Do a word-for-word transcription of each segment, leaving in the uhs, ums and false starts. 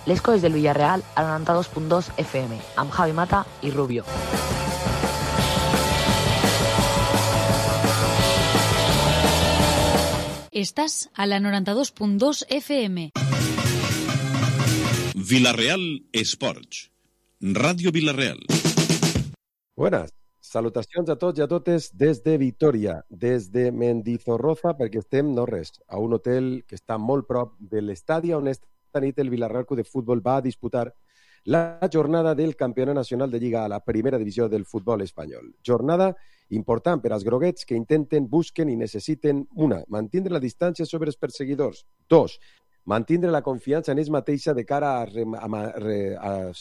l'esco des del Villarreal a noranta-dos punt dos F M, amb Javi Mata i Rubio. Estás a la noranta-dos punt dos F M. Villarreal Esports. Ràdio Villarreal. Buenas. Salutacions a tots i a totes des de Vitoria, des de Mendizorroza, perquè estem, no res, a un hotel que està molt prop de l'estadi on esta nit el Villarreal Club de Futbol va a disputar la jornada del Campionat Nacional de Lliga a la primera divisió del futbol espanyol. Jornada important per als groguets que intenten, busquen i necessiten, una, mantindre la distància sobre els perseguidors. Dos, mantindre la confiança en ells mateixa de cara a, a, a, a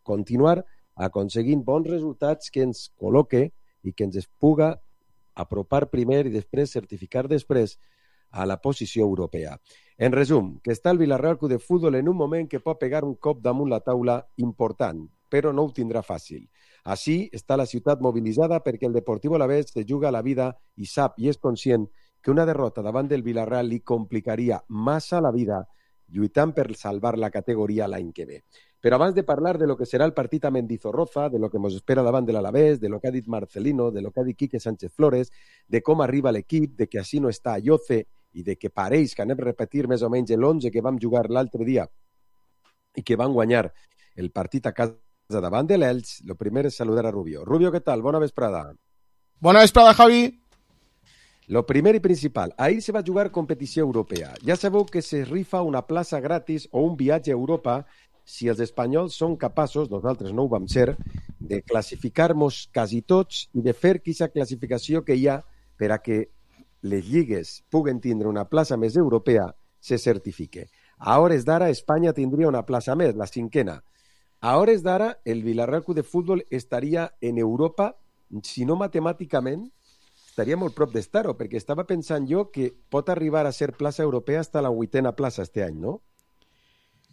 continuar aconseguint bons resultats que ens col·loque i que ens puga apropar primer i després certificar després a la posició europea. En resum, que està el Villarreal Club de Futbol en un moment que pot pegar un cop damunt la taula important, però no ho tindrà fàcil. Així està la ciutat mobilitzada perquè el Deportivo Alavés se juga la vida i sap i és conscient que una derrota davant del Villarreal li complicaria massa la vida lluitant per salvar la categoria l'any que ve. Però abans de parlar de lo que serà el partit a Mendizorroza, de lo que ens espera davant de l'Alavés, de lo que ha dit Marcelino, de lo que ha dit Quique Sánchez Flores, de com arriba l'equip, de que així no està Ayoce i de que pareix que anem a repetir més o menys l'onze que vam jugar l'altre dia i que van guanyar el partit a casa davant de l'Elx, lo primer és saludar a Rubio. Rubio, què tal? Bona vesprada. Bona vesprada, Javi. Lo primer i principal, ahir se va jugar competició europea. Ja sabeu que se rifa una plaça gratis o un viatge a Europa si els espanyols són capaços, nosaltres no ho vam ser, de classificar-nos quasi tots i de fer aquesta classificació que hi ha per a que les lligues puguen tindre una plaça més europea se certifique. A hores d'ara, Espanya tindria una plaça més, la cinquena. A hores d'ara, el Villarreal Club de Futbol estaria en Europa, si no matemàticament, estaria molt prop d'estar-ho, perquè estava pensant jo que pot arribar a ser plaça europea fins a la vuitena plaça este any, no?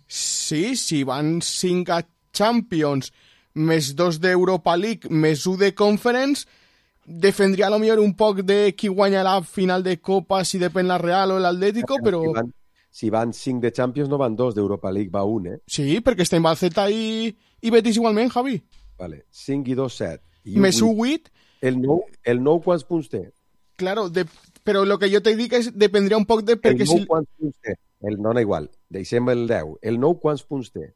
Sí, si van cinc a Champions, més dos d'Europa League, més un de Conference, defendria a lo millor un poc de qui guanya la final de Copa, si depèn la Real o l'Atlético, però... Si van, si van cinc de Champions, no van dos d'Europa League, va un, eh? Sí, perquè està en Balceta i, i Betis igualment, Javi. Vale, cinc i dos, set. I més un vuit. El nou, el nou quants punts té? Claro, de, però el que jo te dic és dependria un poc de... Perquè el nou si... quants punts té? El no, no igual. Deixem el deu. El nou quants punts té?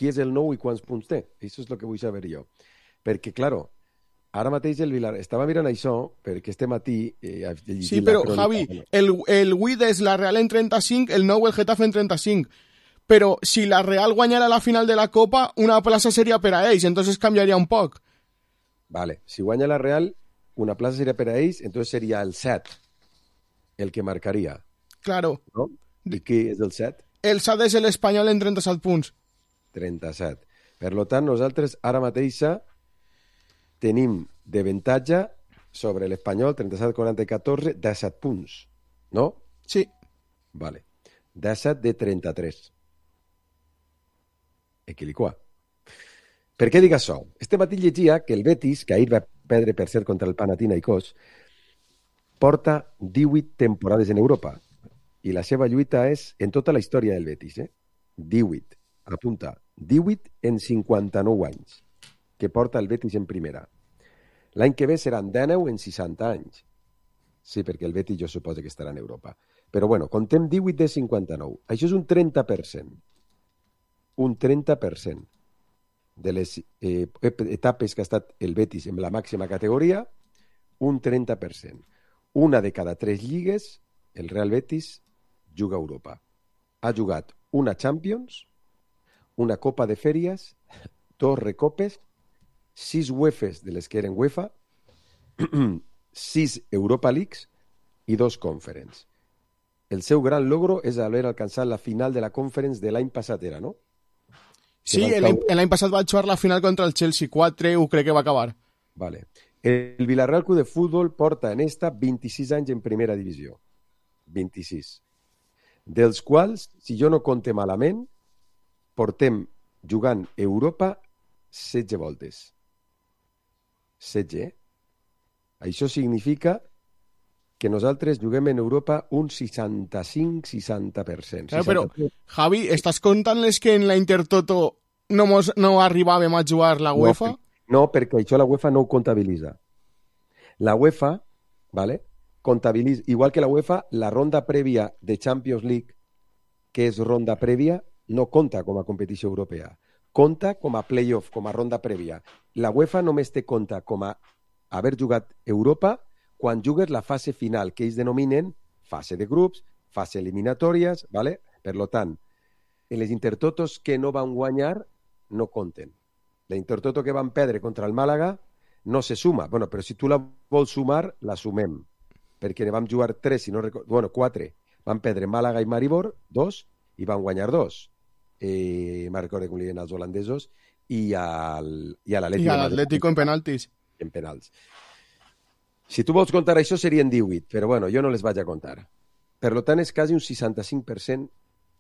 Qui és el nou i quants punts té? Això és el que vull saber jo. Perquè, claro, ara mateix el Vilar... Estava mirant això, perquè este matí... Eh, sí, però, crònica, Javi, no? el, el vuit és la Real en trenta-cinc, el nou el Getafe en trenta-cinc. Però si la Real guanyara la final de la Copa, una plaça seria per a ells, entonces canviaria un poc. Vale, si guanya la Real, una plaça seria per a ells, entonces seria el set el que marcaria. Claro. ¿No? I qui és el set? El set és l'Espanyol en trenta-set punts. trenta-set. Per tant, nosaltres ara mateixa tenim d'avantatge sobre l'Espanyol trenta-set quaranta-catorze, disset punts, no? Sí. Vale. disset de trenta-tres. Equilicua. Per què dic això? Este matí llegia que el Betis, que ahir va perdre per ser contra el Panathinaikos, porta divuit temporades en Europa. I la seva lluita és en tota la història del Betis, eh? divuit. Apunta, divuit en cinquanta-nou anys que porta el Betis en primera. L'any que ve seran dinou en seixanta anys. Sí, perquè el Betis jo suposo que estarà en Europa. Però bueno, contem divuit de cinquanta-nou. Això és un trenta per cent. Un trenta per cent de les eh, etapes que ha estat el Betis en la màxima categoria, un trenta per cent. Una de cada tres lligues, el Real Betis juga a Europa. Ha jugat una Champions, una Copa de Fèries, dos Recopes, sis UEFAs de les que eren UEFA, sis Europa Leagues i dos Conference. El seu gran logro és haver alcançat la final de la Conference de l'any passat, era, no? Sí, l'any passat va jugar la final contra el Chelsea, quatre, ho crec que va acabar. Vale. El Villarreal Club de Futbol porta en esta vint-i-sis anys en primera divisió. vint-i-sis. Dels quals, si jo no compte malament, portem jugant Europa setze voltes. setze, eh? Això significa que nosaltres juguem en Europa un seixanta-cinc seixanta per cent. Claro, però, Javi, estàs contant-les que en la Intertoto no, mos, no arribàvem a jugar la UEFA? No, no, perquè això la UEFA no ho comptabilitza. La UEFA, ¿vale? Comptabilitza, igual que la UEFA, la ronda prèvia de Champions League, que és ronda prèvia, no compta com a competició europea. Compta com a playoff, com a ronda prèvia. La UEFA només té compte com a haver jugat Europa quan jugues la fase final, que ells denominen fase de grups, fase eliminatòries, ¿vale? Per lo tant, en les Intertotos que no van guanyar no compten. La Intertoto que van perdre contra el Màlaga no se suma. Bueno, però si tu la vols sumar, la sumem. Perquè ne vam jugar tres, si no recordo... Bueno, quatre. Van perdre Màlaga i Maribor, dos, i van guanyar dos. Eh, me'n recordo com li diuen els holandesos, i, al, i a l'Atlético. I a l'Atlético en penaltis. En penals. Si tu vols contar això, serien divuit, però bueno, jo no les vaig a contar. Per tant, és quasi un seixanta-cinc per cent.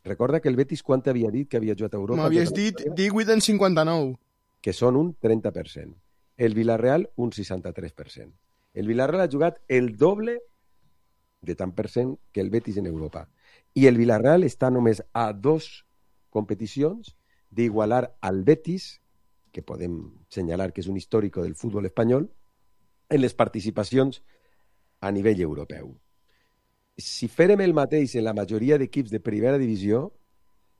Recorda que el Betis quant havia dit que havia jugat a Europa? M'havies dit divuit en cinquanta-nou. Que són un trenta per cent. El Villarreal, un seixanta-tres per cent. El Villarreal ha jugat el doble de tant per cent que el Betis en Europa. I el Villarreal està només a dos competicions d'igualar al Betis, que podem senyalar que és un històrico del futbol espanyol, en les participacions a nivell europeu. Si fèrem el mateix en la majoria d'equips de primera divisió,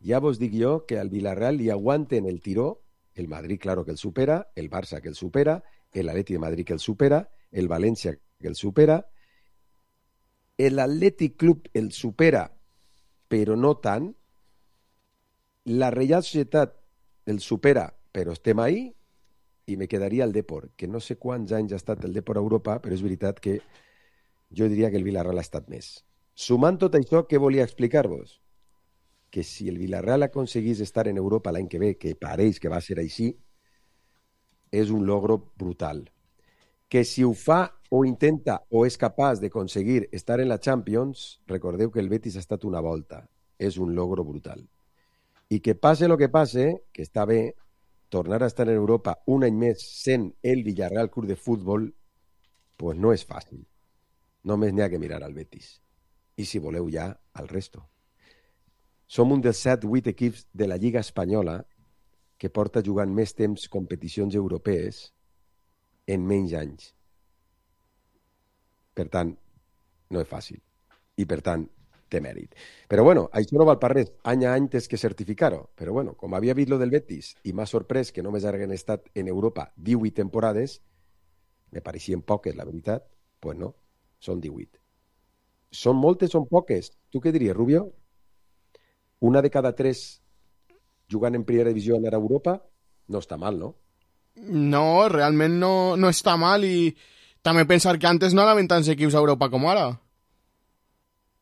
ja vos dic jo que al Villarreal li aguanten el tiró, el Madrid, claro, que el supera, el Barça, que el supera, el Atleti de Madrid, que el supera, el València, que el supera, el Atlètic Club el supera, però no tant, la Reial Societat el supera, però estem ahí, i me quedaria el Depor, que no sé quants anys ha estat el Depor a Europa, però és veritat que jo diria que el Villarreal ha estat més. Sumant tot això, què volia explicar-vos? Que si el Villarreal aconseguís estar en Europa l'any que ve, que pareix que va ser així, és un logro brutal. Que si ho fa o intenta o és capaç d'aconseguir estar en la Champions, recordeu que el Betis ha estat una volta. És un logro brutal. I que passe el que passe, que està bé, tornar a estar en Europa un any més sent el Villarreal Club de Futbol, pues no és fàcil. Només n'hi ha que mirar al Betis. I si voleu ja, al resto. Som un dels set vuit equips de la Lliga Espanyola que porta jugant més temps competicions europees en menys anys. Per tant, no és fàcil. I per tant, té mèrit. Però bueno, això no val per res. Any a any tens que certificar-ho. Però bueno, com havia vist lo del Betis i m'ha sorprès que només hagin estat en Europa divuit temporades, me pareixien poques, la veritat, pues no, són divuit. Són moltes, són poques. Tu què diries, Rubio? Una de cada tres jugant en primera divisió anar a Europa no està mal, no? No, realment no, no està mal i també pensar que antes no anaven tants equips a Europa com ara.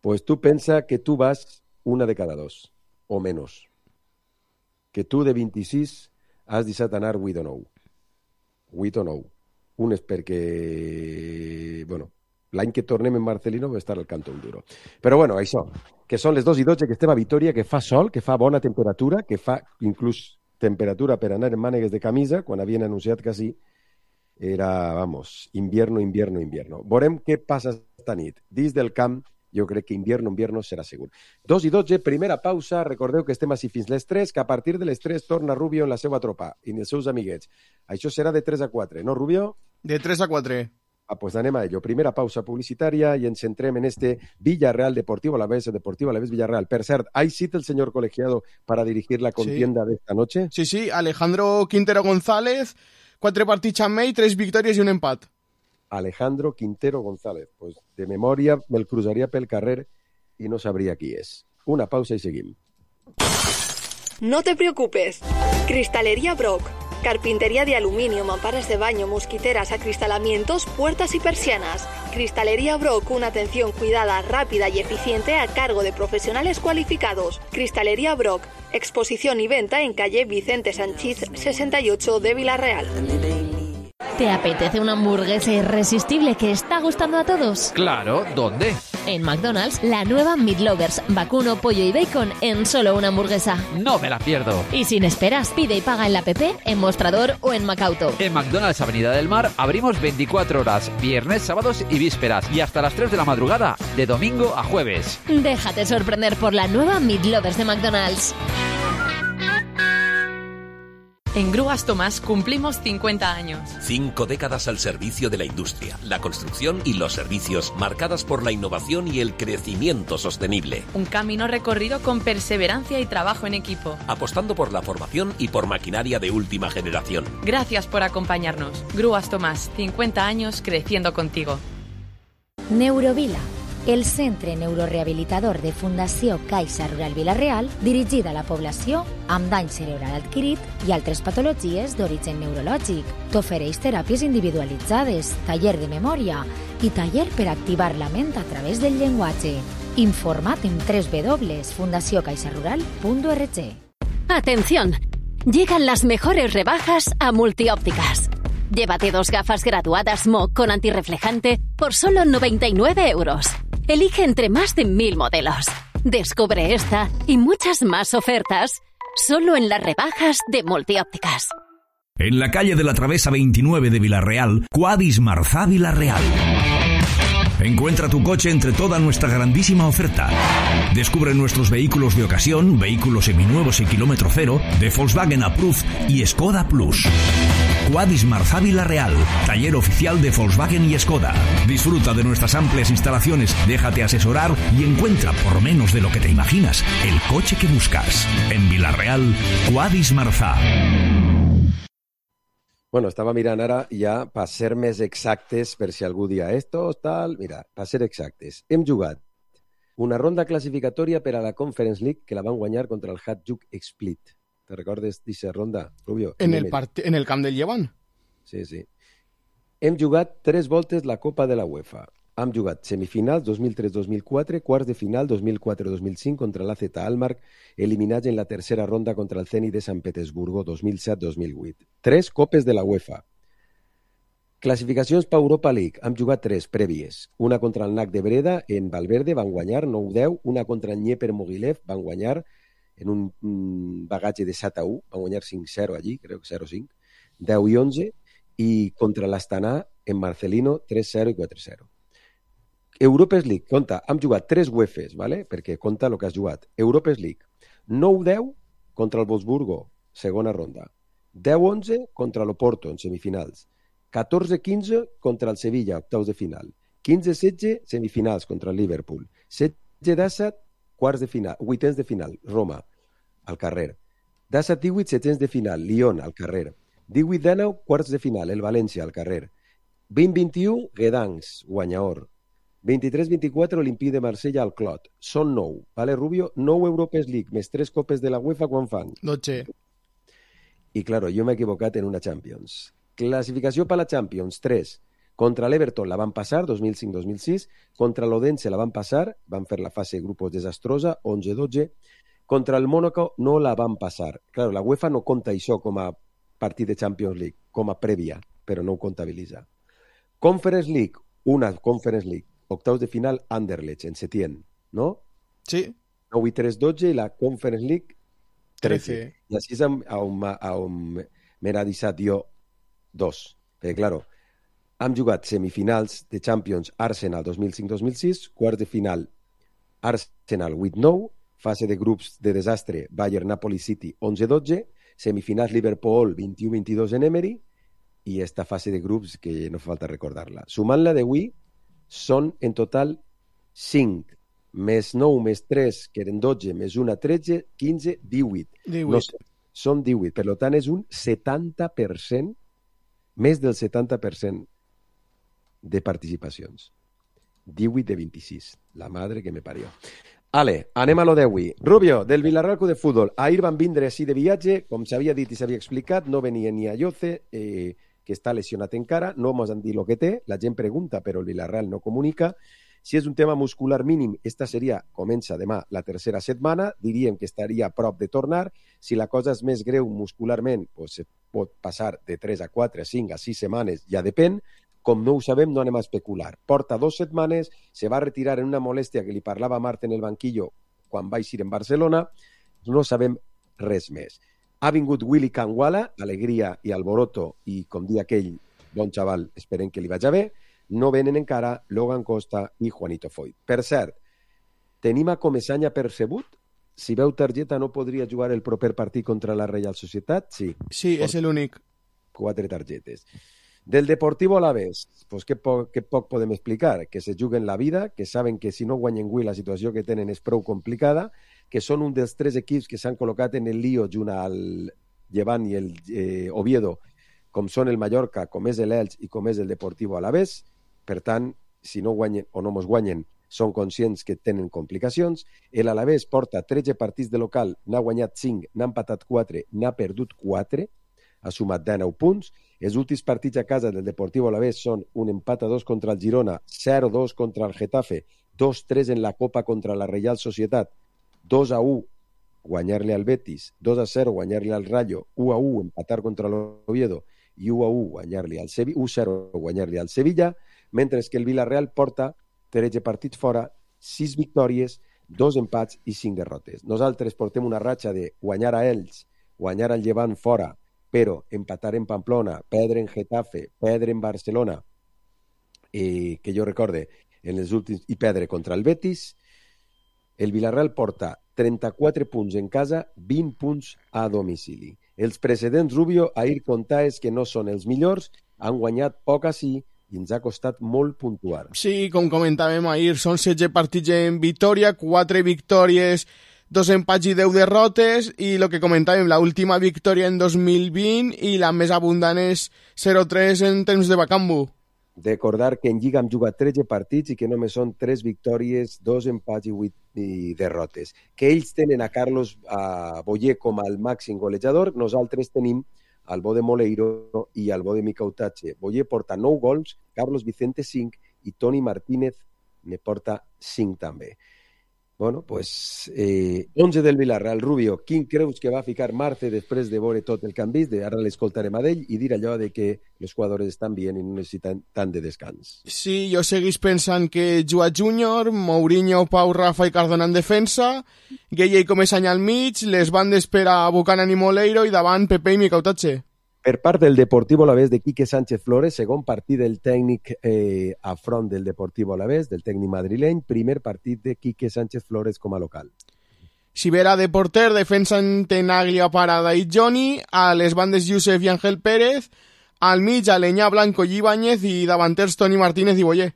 Pues tu pensa que tu vas una de cada dos, o menys. Que tu de vint-i-sis has deixat anar vuit o nou. vuit o nou. Un és perquè, bueno, l'any que tornem en Marcelino va estar al Canto Duro. Però bueno, això, que són les dos i dotze, que estem a Vitoria, que fa sol, que fa bona temperatura, que fa inclús temperatura per anar en mànegues de camisa, quan havien anunciat que sí, era, vamos, invierno, invierno, invierno. Veurem què passa esta nit. Dins del camp, jo crec que invierno, invierno serà segur. Dos i dotze, primera pausa. Recordeu que estem així fins les tres, que a partir de les tres torna Rubio en la seva tropa i els seus amiguets. Això serà de tres a quatre, no, Rubio? De tres a quatre. Ah, pues anem a ello. Primera pausa publicitaria i ens centrem en este Villarreal Deportivo Alavés, Deportivo Alavés Villarreal. Per cert, ¿hay cita el señor colegiado para dirigir la contienda sí. de esta noche? Sí, sí, Alejandro Quintero González, quatre partits amb ell, tres victòries i un empat. Alejandro Quintero González. Pues de memòria me'l cruzaria pel carrer i no sabria qui és. Una pausa i seguim. No te preocupes. Cristalería Brock. Carpintería de aluminio, mamparas de baño, mosquiteras, acristalamientos, puertas y persianas. Cristalería Brock, una atención cuidada, rápida y eficiente a cargo de profesionales cualificados. Cristalería Brock, exposición y venta en calle Vicente Sanchís sesenta y ocho de Villarreal. ¿Te apetece una hamburguesa irresistible que está gustando a todos? Claro, ¿dónde? En McDonald's, la nueva Meat Lovers, vacuno, pollo y bacon en solo una hamburguesa. No me la pierdo. Y sin esperas, pide y paga en la app, en Mostrador o en Macauto. En McDonald's Avenida del Mar abrimos veinticuatro horas, viernes, sábados y vísperas, y hasta las tres de la madrugada, de domingo a jueves. Déjate sorprender por la nueva Meat Lovers de McDonald's. En Grúas Tomás cumplimos cincuenta años. Cinco décadas al servicio de la industria, la construcción y los servicios, marcadas por la innovación y el crecimiento sostenible. Un camino recorrido con perseverancia y trabajo en equipo. Apostando por la formación y por maquinaria de última generación. Gracias por acompañarnos. Grúas Tomás, cincuenta años creciendo contigo. Neurovila, el centre neurorehabilitador de Fundació Caixa Rural Vila-real, dirigida a la població amb dany cerebral adquirit i altres patologies d'origen neurològic. T'ofereix teràpies individualitzades, taller de memòria i taller per activar la ment a través del llenguatge. Informa't en doble u doble u doble u punt fundació caixa rural punt org. Atención, llegan las mejores rebajas a Multiópticas. Llévate dos gafas graduadas M O con antirreflejante por solo noventa y nueve euros. Elige entre más de mil modelos. Descubre esta y muchas más ofertas solo en las rebajas de Multiópticas. En la calle de la Travesa veintinueve de Villarreal, Quadis Marzá Villarreal. Encuentra tu coche entre toda nuestra grandísima oferta. Descubre nuestros vehículos de ocasión, vehículos seminuevos y kilómetro cero, de Volkswagen Approved y Skoda Plus. Quadis Marzá Villarreal, taller oficial de Volkswagen y Skoda. Disfruta de nuestras amplias instalaciones, déjate asesorar y encuentra, por menos de lo que te imaginas, el coche que buscas. En Villarreal, Quadis Marzá. Bueno, estava mirant ara ja per ser més exactes, per si algú dia esto, tal... Mira, per ser exactes, hem jugat una ronda classificatòria per a la Conference League que la van guanyar contra el Hajduk Split. ¿Te recordes d'aquesta ronda, Rubio? En el, part... en el camp del Llevant? Sí, sí. Hem jugat tres voltes la Copa de la UEFA. Hem jugat semifinals dos mil tres dos mil quatre, quarts de final dos mil quatre dos mil cinc contra l'A Z Alkmaar, eliminats en la tercera ronda contra el Zenit de Sant Petersburgo dos mil set dos mil vuit. Tres copes de la UEFA. Classificacions per Europa League. Hem jugat tres prèvies. Una contra el N A C de Breda en Valverde, van guanyar nou deu. Una contra el Dnieper Mogilev, van guanyar en un bagatge de set a u. Van guanyar cinc zero allí, crec que zero cinc. deu i onze. I contra l'Astana en Marcelino tres zero i quatre zero. Europes League, compta, hem jugat tres UEFAs, ¿vale? Perquè compta el que has jugat. Europes League, nou deu contra el Wolfsburgo, segona ronda. deu onze contra l'Oporto, en semifinals. catorze quinze contra el Sevilla, octaus de final. quinze setze, semifinals contra el Liverpool. setze disset, quarts de final, vuitens de final, Roma, al carrer. disset divuit, setens de final, Lyon, al carrer. divuit dinou, quarts de final, el València, al carrer. vint vint u, Gdansk, guanyador. vint-i-tres vint-i-quatre, Olympique de Marsella al Clot. Són nou, ¿vale, Rubio? nou Europes League, més tres copes de la UEFA, quan fan? dotze. I, claro, jo m'he equivocat en una Champions. Classificació per la Champions, tres. Contra l'Everton la van passar, dos mil cinc dos mil sis. Contra l'Odense la van passar, van fer la fase de grupos desastrosa, onze dotze. Contra el Mónaco no la van passar. Claro, la UEFA no compta això com a partit de Champions League, com a prèvia, però no ho comptabilitza. Conference League, una Conference League. Octaus de final, Anderlecht, en Setién, ¿no? Sí. nou i tres, dotze, i la Conference League, trece. trece. I així és on, on m'he deixat jo dos. Perquè, claro, hem jugat semifinals de Champions Arsenal dos mil cinc dos mil sis, quarts de final Arsenal vuit nou, fase de grups de desastre Bayern Napoli City onze dotze, semifinals Liverpool vint-i-u vint-i-dos en Emery, i esta fase de grups que no fa falta recordar-la. Sumant-la d'avui, són en total cinc, més nou, més tres, que eren dotze, més una, tretze, quinze, divuit. divuit. No, són divuit, per tant és un setanta per cent, més del setanta per cent de participacions. divuit de vint-i-sis, la madre que me parió. Ale, anem a lo d'avui. Rubio, del Villarreal Club de Futbol. Ahir van vindre així de viatge, com s'havia dit i s'havia explicat, no venia ni a Lloce, eh, que està lesionat encara, no ens han dit el que té, la gent pregunta, però el Villarreal no comunica. Si és un tema muscular mínim, esta seria, comença demà, la tercera setmana, diríem que estaria a prop de tornar. Si la cosa és més greu muscularment, pues, pot passar de tres a quatre, a cinc, a sis setmanes, ja depèn. Com no ho sabem, no anem a especular. Porta dos setmanes, se va retirar en una molèstia que li parlava a Marta en el banquillo quan va eixir en Barcelona, no sabem res més. Ha vingut Willy Kangwala, alegria i alboroto, i com dia aquell, bon xaval, esperem que li vagi bé. No venen encara Logan Costa i Juanito Foyt. Per cert, tenim a Comesaña percebut? Si veu targeta no podria jugar el proper partit contra la Reial Societat? Sí. Sí, és l'únic. Quatre targetes. Del Deportivo Alavés, pues què poc, què poc podem explicar? Que se juguen la vida, que saben que si no guanyen avui la situació que tenen és prou complicada, que són un dels tres equips que s'han col·locat en el lío junt al Llevant i el eh, Oviedo, com són el Mallorca, com és l'Elx i com és el Deportivo Alavés. Per tant, si no guanyen o no mos guanyen, són conscients que tenen complicacions. L'Alavés porta tretze partits de local, n'ha guanyat cinc, n'ha empatat quatre, n'ha perdut quatre, ha sumat dinou punts. Els últims partits a casa del Deportivo Alavés són un empat a dos contra el Girona, zero dos contra el Getafe, dos tres en la Copa contra la Reial Societat, dos a u guanyar-li al Betis, dos a zero guanyar-li al Rayo, u a u empatar contra l'Oviedo i u a u guanyar-li al Sevilla, u a zero guanyar-li al Sevilla, mentre que el Villarreal porta tretze partits fora, sis victòries, dos empats i cinc derrotes. Nosaltres portem una ratxa de guanyar a Elx, guanyar al Llevant fora, però empatar en Pamplona, perdre en Getafe, perdre en Barcelona, eh, que jo recorde, en els últims, i perdre contra el Betis. El Villarreal porta trenta-quatre punts en casa, vint punts a domicili. Els precedents Rubio, ahir comptar és que no són els millors, han guanyat poc així i ens ha costat molt puntuar. Sí, com comentàvem ahir, són setze partits en victòria, quatre victòries, dos empats i deu derrotes, i el que comentàvem, la última victòria en dos mil vint i la més abundant és zero tres en temps de Bacambu. Recordar que en Lliga hem jugat tretze partits i que només són tres victòries, dos empats i vuit i derrotes. Que ells tenen a Carlos a Boyer com el màxim golejador, nosaltres tenim al bo de Moleiro i al bo de Micautache. Boyer porta nou gols, Carlos Vicente cinc i Toni Martínez ne porta cinc també. Bueno, pues eh, onze del Villarreal. Rubio, quin creus que va ficar Marce després de veure tot el que han vist? Ara l'escoltarem a ell i dir allò de que els jugadors estan bé i no necessiten tant de descans. Sí, jo seguís pensant que Joao Júnior, Mourinho, Pau, Rafa i Cardona en defensa, Gueye i Comesaña al mig, les bandes per a Buchanan i Moleiro i davant Pepe i Micautache. Per part del Deportivo Alavés de Quique Sánchez Flores, segon partit del tècnic eh, a front del Deportivo Alavés, del tècnic madrileny, primer partit de Quique Sánchez Flores com a local. Sibera de porter, defensa en Tenaglia, Parada i Johnny, a les bandes Josep i Ángel Pérez, al mig Aleñà, Blanco i Ibáñez i davanters Toni Martínez i Boyer.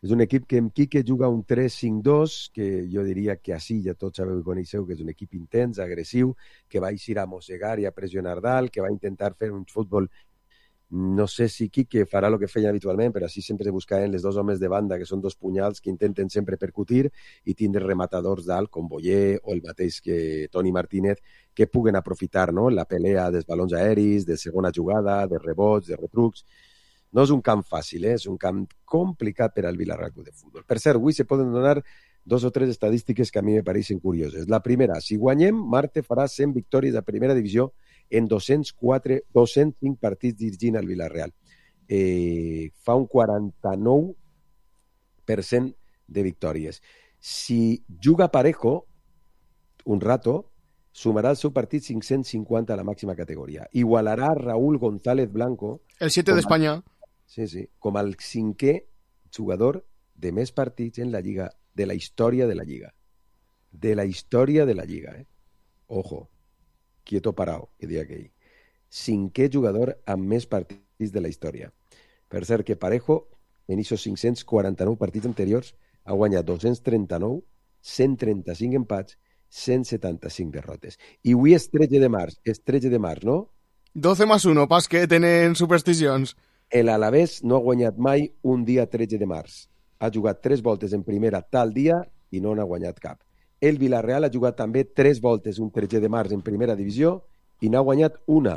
És un equip que en Quique juga un tres cinc dos, que jo diria que així ja tots sabeu i coneixeu que és un equip intens, agressiu, que va eixir a mossegar i a pressionar dalt, que va intentar fer un futbol. No sé si Quique farà el que feia habitualment, però així sempre buscaven les dos homes de banda, que són dos punyals que intenten sempre percutir i tindre rematadors dalt, com Boyer o el mateix que Toni Martínez, que puguen aprofitar, no?, la pelea dels balons aeris, de segona jugada, de rebots, de retrucs. No és un camp fàcil, eh? És un camp complicat per al Villarreal Club de Futbol. Per cert, avui se poden donar dos o tres estadístiques que a mi me pareixen curioses. La primera, si guanyem, Marte farà cent victòries a primera divisió en dos-cents quatre, dos-cents cinc partits dirigint al Villarreal. Eh, fa un quaranta-nou per cent de victòries. Si juga Parejo, un rato, sumarà al seu partit cinc-cents cinquanta a la màxima categoria. Igualarà a Raúl González Blanco, el siete d'Espanya. Sí, sí, com el cinquè jugador de més partits en la Lliga, de la història de la Lliga. De la història de la Lliga, eh? Ojo, quieto parao, que dia aquell. Cinquè jugador amb més partits de la història. Per cert, que Parejo, en aquests cinc-cents quaranta-nou partits anteriors, ha guanyat dos-cents trenta-nou, cent trenta-cinc empats, cent setanta-cinc derrotes. I avui és tretze de març, és tretze de març, no? doce más uno, pas que tenen supersticions. El Alavés no ha guanyat mai un dia tretze de març. Ha jugat tres voltes en primera tal dia i no n'ha guanyat cap. El Villarreal ha jugat també tres voltes un tretze de març en primera divisió i n'ha guanyat una.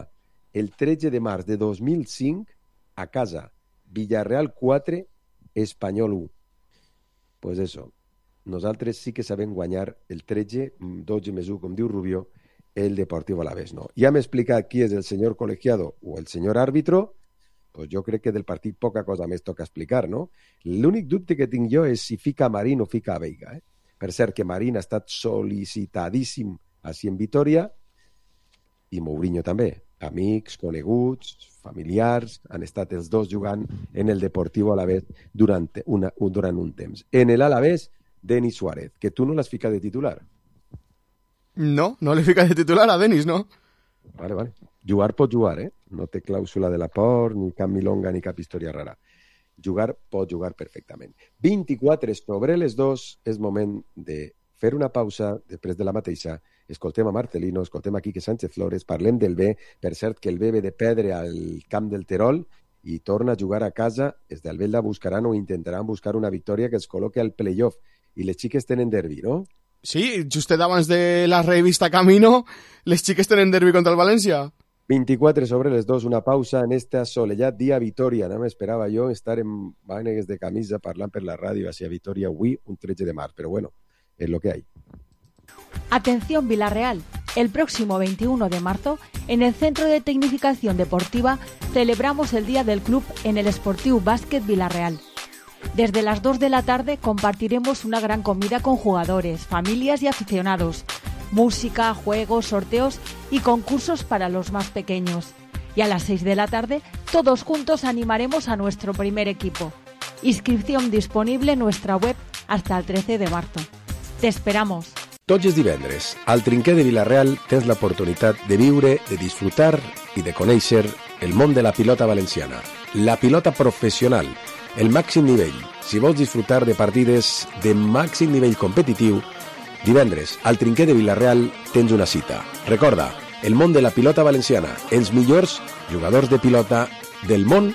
El tretze de març de dos mil cinc a casa. Villarreal quatre, Espanyol u. Pues eso. Nosaltres sí que sabem guanyar el tretze, dotze més u, com diu Rubio, el Deportivo Alavés no. Ja m'he explicat qui és el senyor colegiado o el senyor àrbitro, pues jo crec que del partit poca cosa més toca explicar, no? L'únic dubte que tinc jo és si fica Marín o fica Veiga. Eh? Per cert, que Marín ha estat sol·licitadíssim així en Vitoria i Mourinho també. Amics, coneguts, familiars, han estat els dos jugant en el Deportivo Alavés durant, una, durant un temps. En el Alavés, Denis Suárez, que tu no l'has ficat de titular. No, no l'he ficat de titular a Denis, no? Vale, vale. Jugar pot jugar, eh? No té clàusula de l'aport, ni cap milonga, ni cap història rara. Jugar pot jugar perfectament. vint-i-quatre sobre les dos, és moment de fer una pausa després de la mateixa. Escoltem a Marcelino, escoltem a Quique Sánchez Flores, parlem del B. Per cert, que el B ve de perdre al camp del Terol i torna a jugar a casa. Els d'Albelda buscaran o intentaran buscar una victòria que els col·loqui al playoff. I les xiques tenen derbi, no? Sí, justet abans de la revista Camino, les xiques tenen derbi contra el València. vint-i-quatre sobre les dos, una pausa en esta soledat dia a Vitoria. No m'esperava jo estar en mànegues de camisa parlant per la ràdio hacia Vitoria avui, un tretze de març, però bueno, es lo que hay. Atención Villarreal, el próximo veintiuno de marzo, en el Centro de Tecnificación Deportiva, celebramos el Día del Club en el Sportiu Básquet Villarreal. Desde las dos de la tarde compartiremos una gran comida con jugadores, familias y aficionados, música, juegos, sorteos y concursos para los más pequeños. Y a las seis de la tarde, todos juntos animaremos a nuestro primer equipo. Inscripción disponible en nuestra web hasta el trece de marzo. Te esperamos. Tots els divendres, al Trinquer de Vilareal tens l'oportunitat de viure, de disfrutar i de conèixer el món de la pilota valenciana. La pilota professional, el màxim nivell. Si vols disfrutar de partides de màxim nivell competitiu, divendres, al Trinquer de Vilareal tens una cita. Recorda, el món de la pilota valenciana, els millors jugadors de pilota del món,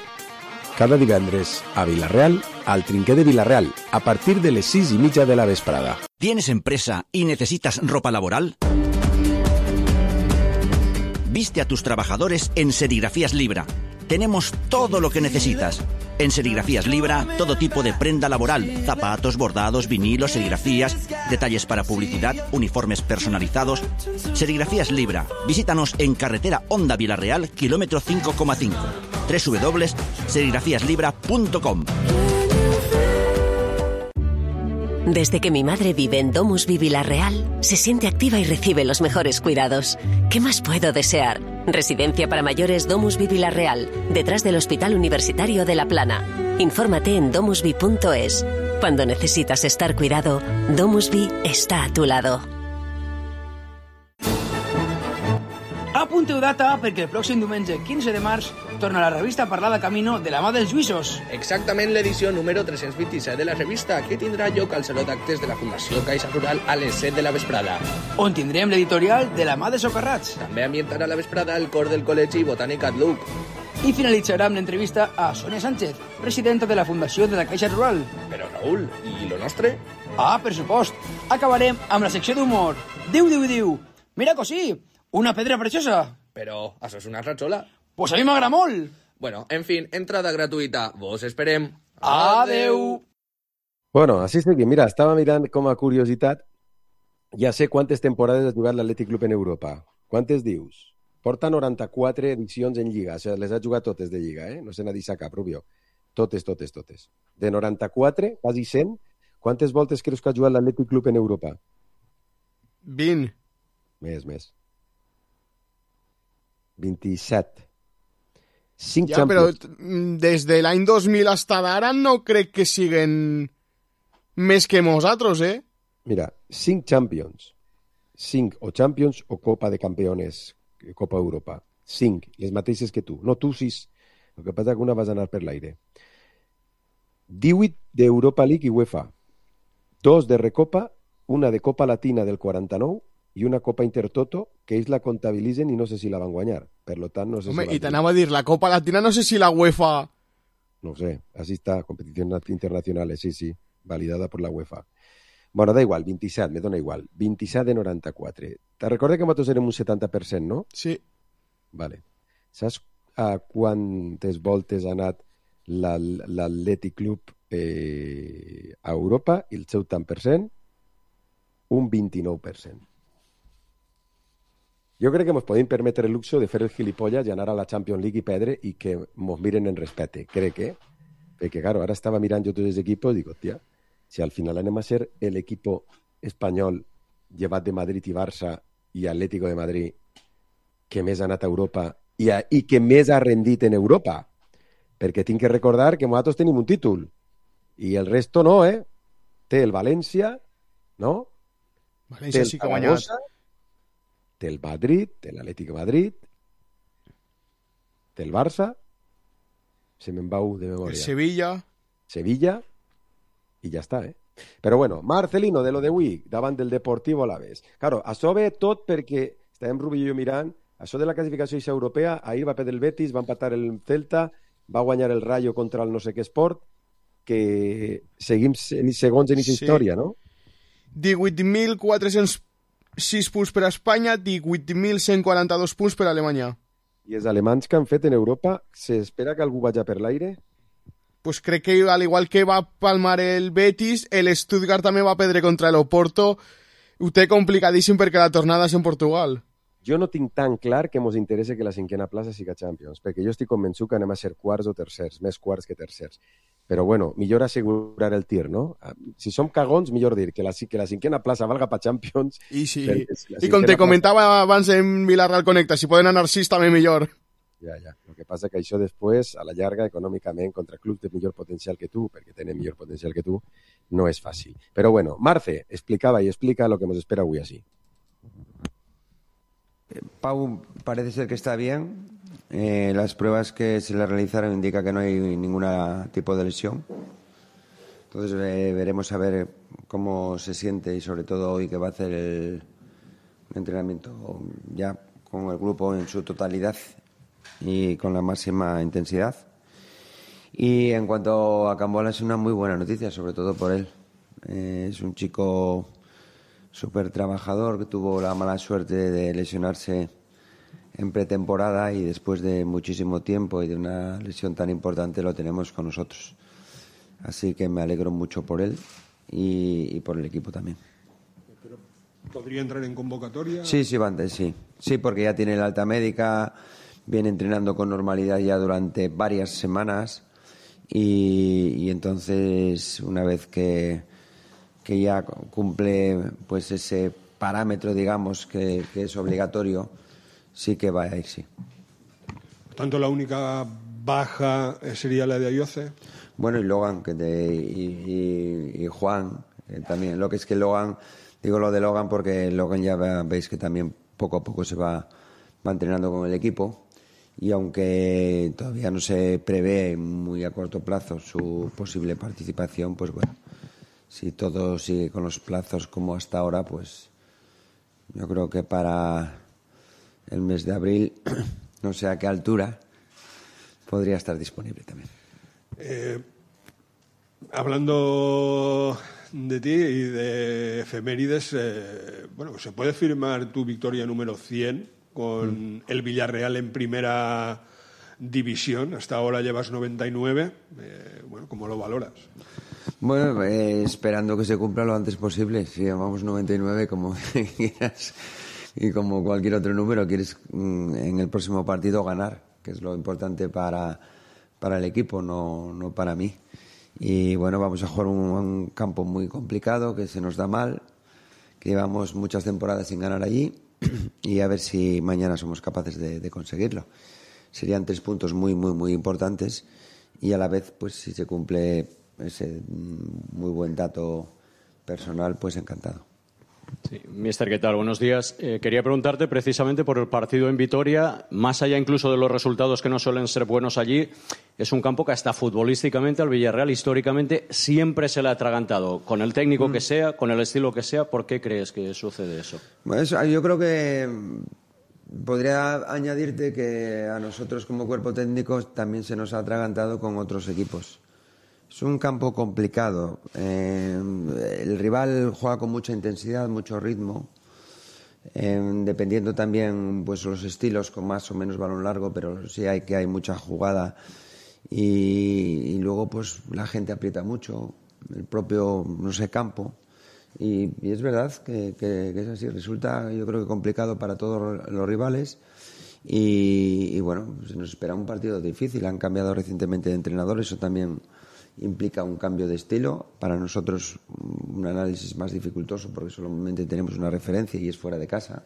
cada divendres a Vilareal, al Trinquer de Vilareal, a partir de les sis i mitja de la vesprada. ¿Tienes empresa y necesitas ropa laboral? Viste a tus trabajadores en Serigrafías Libra. Tenemos todo lo que necesitas. En Serigrafías Libra, todo tipo de prenda laboral, zapatos, bordados, vinilos, serigrafías, detalles para publicidad, uniformes personalizados. Serigrafías Libra. Visítanos en carretera Honda Vilareal, kilómetro cinco coma cinco. doble u doble u doble u punto serigrafías libra punto com. Desde que mi madre vive en Domusvi Vilarreal, se siente activa y recibe los mejores cuidados. ¿Qué más puedo desear? Residencia para mayores Domusvi Vilarreal, detrás del Hospital Universitario de La Plana. Infórmate en domusvi punto es. Cuando necesitas estar cuidado, Domusvi está a tu lado. Apunteu data perquè el pròxim diumenge quinze de març torna la revista a parlar de Camino de la mà dels Lluïsos. Exactament l'edició número tres-cents vint-i-set de la revista, que tindrà lloc al Saló d'Actes de la Fundació Caixa Rural a les set de la vesprada. On tindrem l'editorial de la mà de Socarrats. També ambientarà la vesprada el cor del Col·legi Botànic Atluc. I finalitzarà amb l'entrevista a Sonia Sánchez, presidenta de la Fundació de la Caixa Rural. Però, Raül, i lo nostre? Ah, per supost. Acabarem amb la secció d'humor. Diu, diu, diu. Mira, cosí, una pedra preciosa. Però això és una ratxola. Pues a mi m'agrada molt. Bueno, en fin, entrada gratuïta. Vos esperem. Adeu. Bueno, així seguim. Mira, estava mirant com a curiositat. Ja sé quantes temporades ha jugat l'Atlètic Club en Europa. Quantes dius? Porta noranta-quatre edicions en Lliga. O sigui, les ha jugat totes de Lliga, eh? No se n'ha deixat cap, Rubio. Totes, totes, totes. De noranta-quatre, quasi cent, quantes voltes creus que ha jugat l'Atlètic Club en Europa? vint. Més, més. vint-i-set. cinc ja, però des de l'any dos mil fins ara no crec que siguen més que nosaltres, eh? Mira, cinc Champions. cinc o Champions o Copa de Campeones, Copa Europa. cinc, les mateixes que tu. No, tu sis. El que passa que una vas anar per l'aire. divuit d'Europa League i UEFA. Dos de Recopa, una de Copa Latina del quaranta-nou i una Copa Intertoto, que ells la comptabilitzen i no sé si la van guanyar. Per lo tant, no sé Home, si... i t'anava a dir, la Copa Latina no sé si la UEFA... No sé, así está, competiciones internacionales, sí, sí, validada por la UEFA. Bueno, da igual, vint-i-set, me dona igual. vint-i-set de noranta-quatre. Te recorda que nosaltres érem un setanta per cent, no? Sí. Vale. Saps a quantes voltes ha anat l'Atlètic Club eh, a Europa i el seu tant per cent? Un vint-i-nou per cent. Jo crec que ens podem permetre el luxo de fer el gilipollas i anar a la Champions League i perdre i que ens miren en respecte. Crec que, perquè, claro, ara estava mirant jo tots els equipos i dic, hòstia, si al final anem a ser el equipo espanyol llevat de Madrid i Barça i Atlético de Madrid que més ha anat a Europa i, a, i que més ha rendit en Europa. Perquè tinc que recordar que nosaltres tenim un títol i el resto no, eh? Té el València, no? València sí que ha guanyat. Té el Madrid, té l'Atlético de Madrid, té el Barça, se me'n va de memòria. El Sevilla. Sevilla, i ja està, eh? Però bueno, Marcelino, de lo d'avui, davant del Deportivo Alavés. Claro, això ve tot perquè, estàvem Rubí i jo mirant, això de la classificació europea, ahir va perdre el Betis, va empatar el Celta, va guanyar el Rayo contra el no sé què esport, que seguim segons en aquesta sí. història, no? divuit mil quatre-cents sis punts per a Espanya, divuit mil cent quaranta-dos punts per a Alemanya. I els alemanys que han fet en Europa, s'espera que algú vagi per l'aire? Pues crec que al igual que va palmar el Betis, el Stuttgart també va perdre contra el Oporto. Ho té complicadíssim perquè la tornada és en Portugal. Jo no tinc tan clar que ens interessa que la cinquena plaça siga Champions, perquè jo estic convençut que anem a ser quarts o tercers, més quarts que tercers. Però bueno, millor assegurar el tir, no? Si som cagons, millor dir que la, que la cinquena plaça valga per Champions. I sí, si i com te comentava plaça... abans en Villarreal Connecta, si poden anar sis també millor. Ja, ja. El que passa que això després, a la llarga, econòmicament, contra clubs de millor potencial que tu, perquè tenen millor potencial que tu, no és fàcil. Però bueno, Marce explicava i explica lo que nos espera avui així. Pau parece ser que está bien. Eh, las pruebas que se le realizaron indican que no hay ningún tipo de lesión. Entonces eh, veremos a ver cómo se siente y sobre todo hoy que va a hacer el entrenamiento ya con el grupo en su totalidad y con la máxima intensidad. Y en cuanto a Cambola, es una muy buena noticia, sobre todo por él. Eh, es un chico súper trabajador que tuvo la mala suerte de lesionarse en pretemporada y después de muchísimo tiempo y de una lesión tan importante lo tenemos con nosotros. Así que me alegro mucho por él y, y por el equipo también. ¿Pero podría entrar en convocatoria? Sí, sí, Bante, sí. Sí, porque ya tiene la alta médica, viene entrenando con normalidad ya durante varias semanas y, y entonces una vez que que ya cumple pues ese parámetro, digamos, que, que es obligatorio, sí que va a ir, sí. Por tanto, la única baja sería la de Ayoce. Bueno, y Logan que de, y, y, y Juan eh, también. Lo que es que Logan, digo lo de Logan porque Logan ya veis que también poco a poco se va, va entrenando con el equipo y aunque todavía no se prevé muy a corto plazo su posible participación, pues bueno, si todo sigue con los plazos como hasta ahora, pues yo creo que para el mes de abril, no sé a qué altura, podría estar disponible también. Eh, hablando de ti y de efemérides, eh, bueno, ¿se puede firmar tu victoria número cien con mm. el Villarreal en primera división? Hasta ahora llevas noventa y nueve. Eh, bueno, ¿cómo lo valoras? Bueno, eh, esperando que se cumpla lo antes posible. Si llamamos noventa y nueve, como quieras, y como cualquier otro número, quieres mm, en el próximo partido ganar, que es lo importante para, para el equipo, no, no para mí. Y bueno, vamos a jugar un, un campo muy complicado, que se nos da mal, que llevamos muchas temporadas sin ganar allí, y a ver si mañana somos capaces de, de conseguirlo. Serían tres puntos muy, muy, muy importantes, y a la vez, pues si se cumple ese muy buen dato personal, pues encantado. Sí, mister, ¿qué tal? Buenos días. Eh, quería preguntarte precisamente por el partido en Vitoria, más allá incluso de los resultados que no suelen ser buenos allí, es un campo que hasta futbolísticamente al Villarreal históricamente siempre se le ha atragantado, con el técnico mm. que sea, con el estilo que sea. ¿Por qué crees que sucede eso? Bueno, eso, yo creo que podría añadirte que a nosotros como cuerpo técnico también se nos ha atragantado con otros equipos. Es un campo complicado. Eh, el rival juega con mucha intensidad, mucho ritmo, eh, dependiendo también pues los estilos, con más o menos balón largo, pero sí hay que hay mucha jugada y, y luego pues la gente aprieta mucho, el propio no sé campo, Y, y es verdad que, que, que es así. Resulta, yo creo que complicado para todos los rivales. Y, y bueno, se nos espera un partido difícil. Han cambiado recientemente de entrenador, eso también implica un cambio de estilo. Para nosotros un análisis más dificultoso porque solamente tenemos una referencia y es fuera de casa.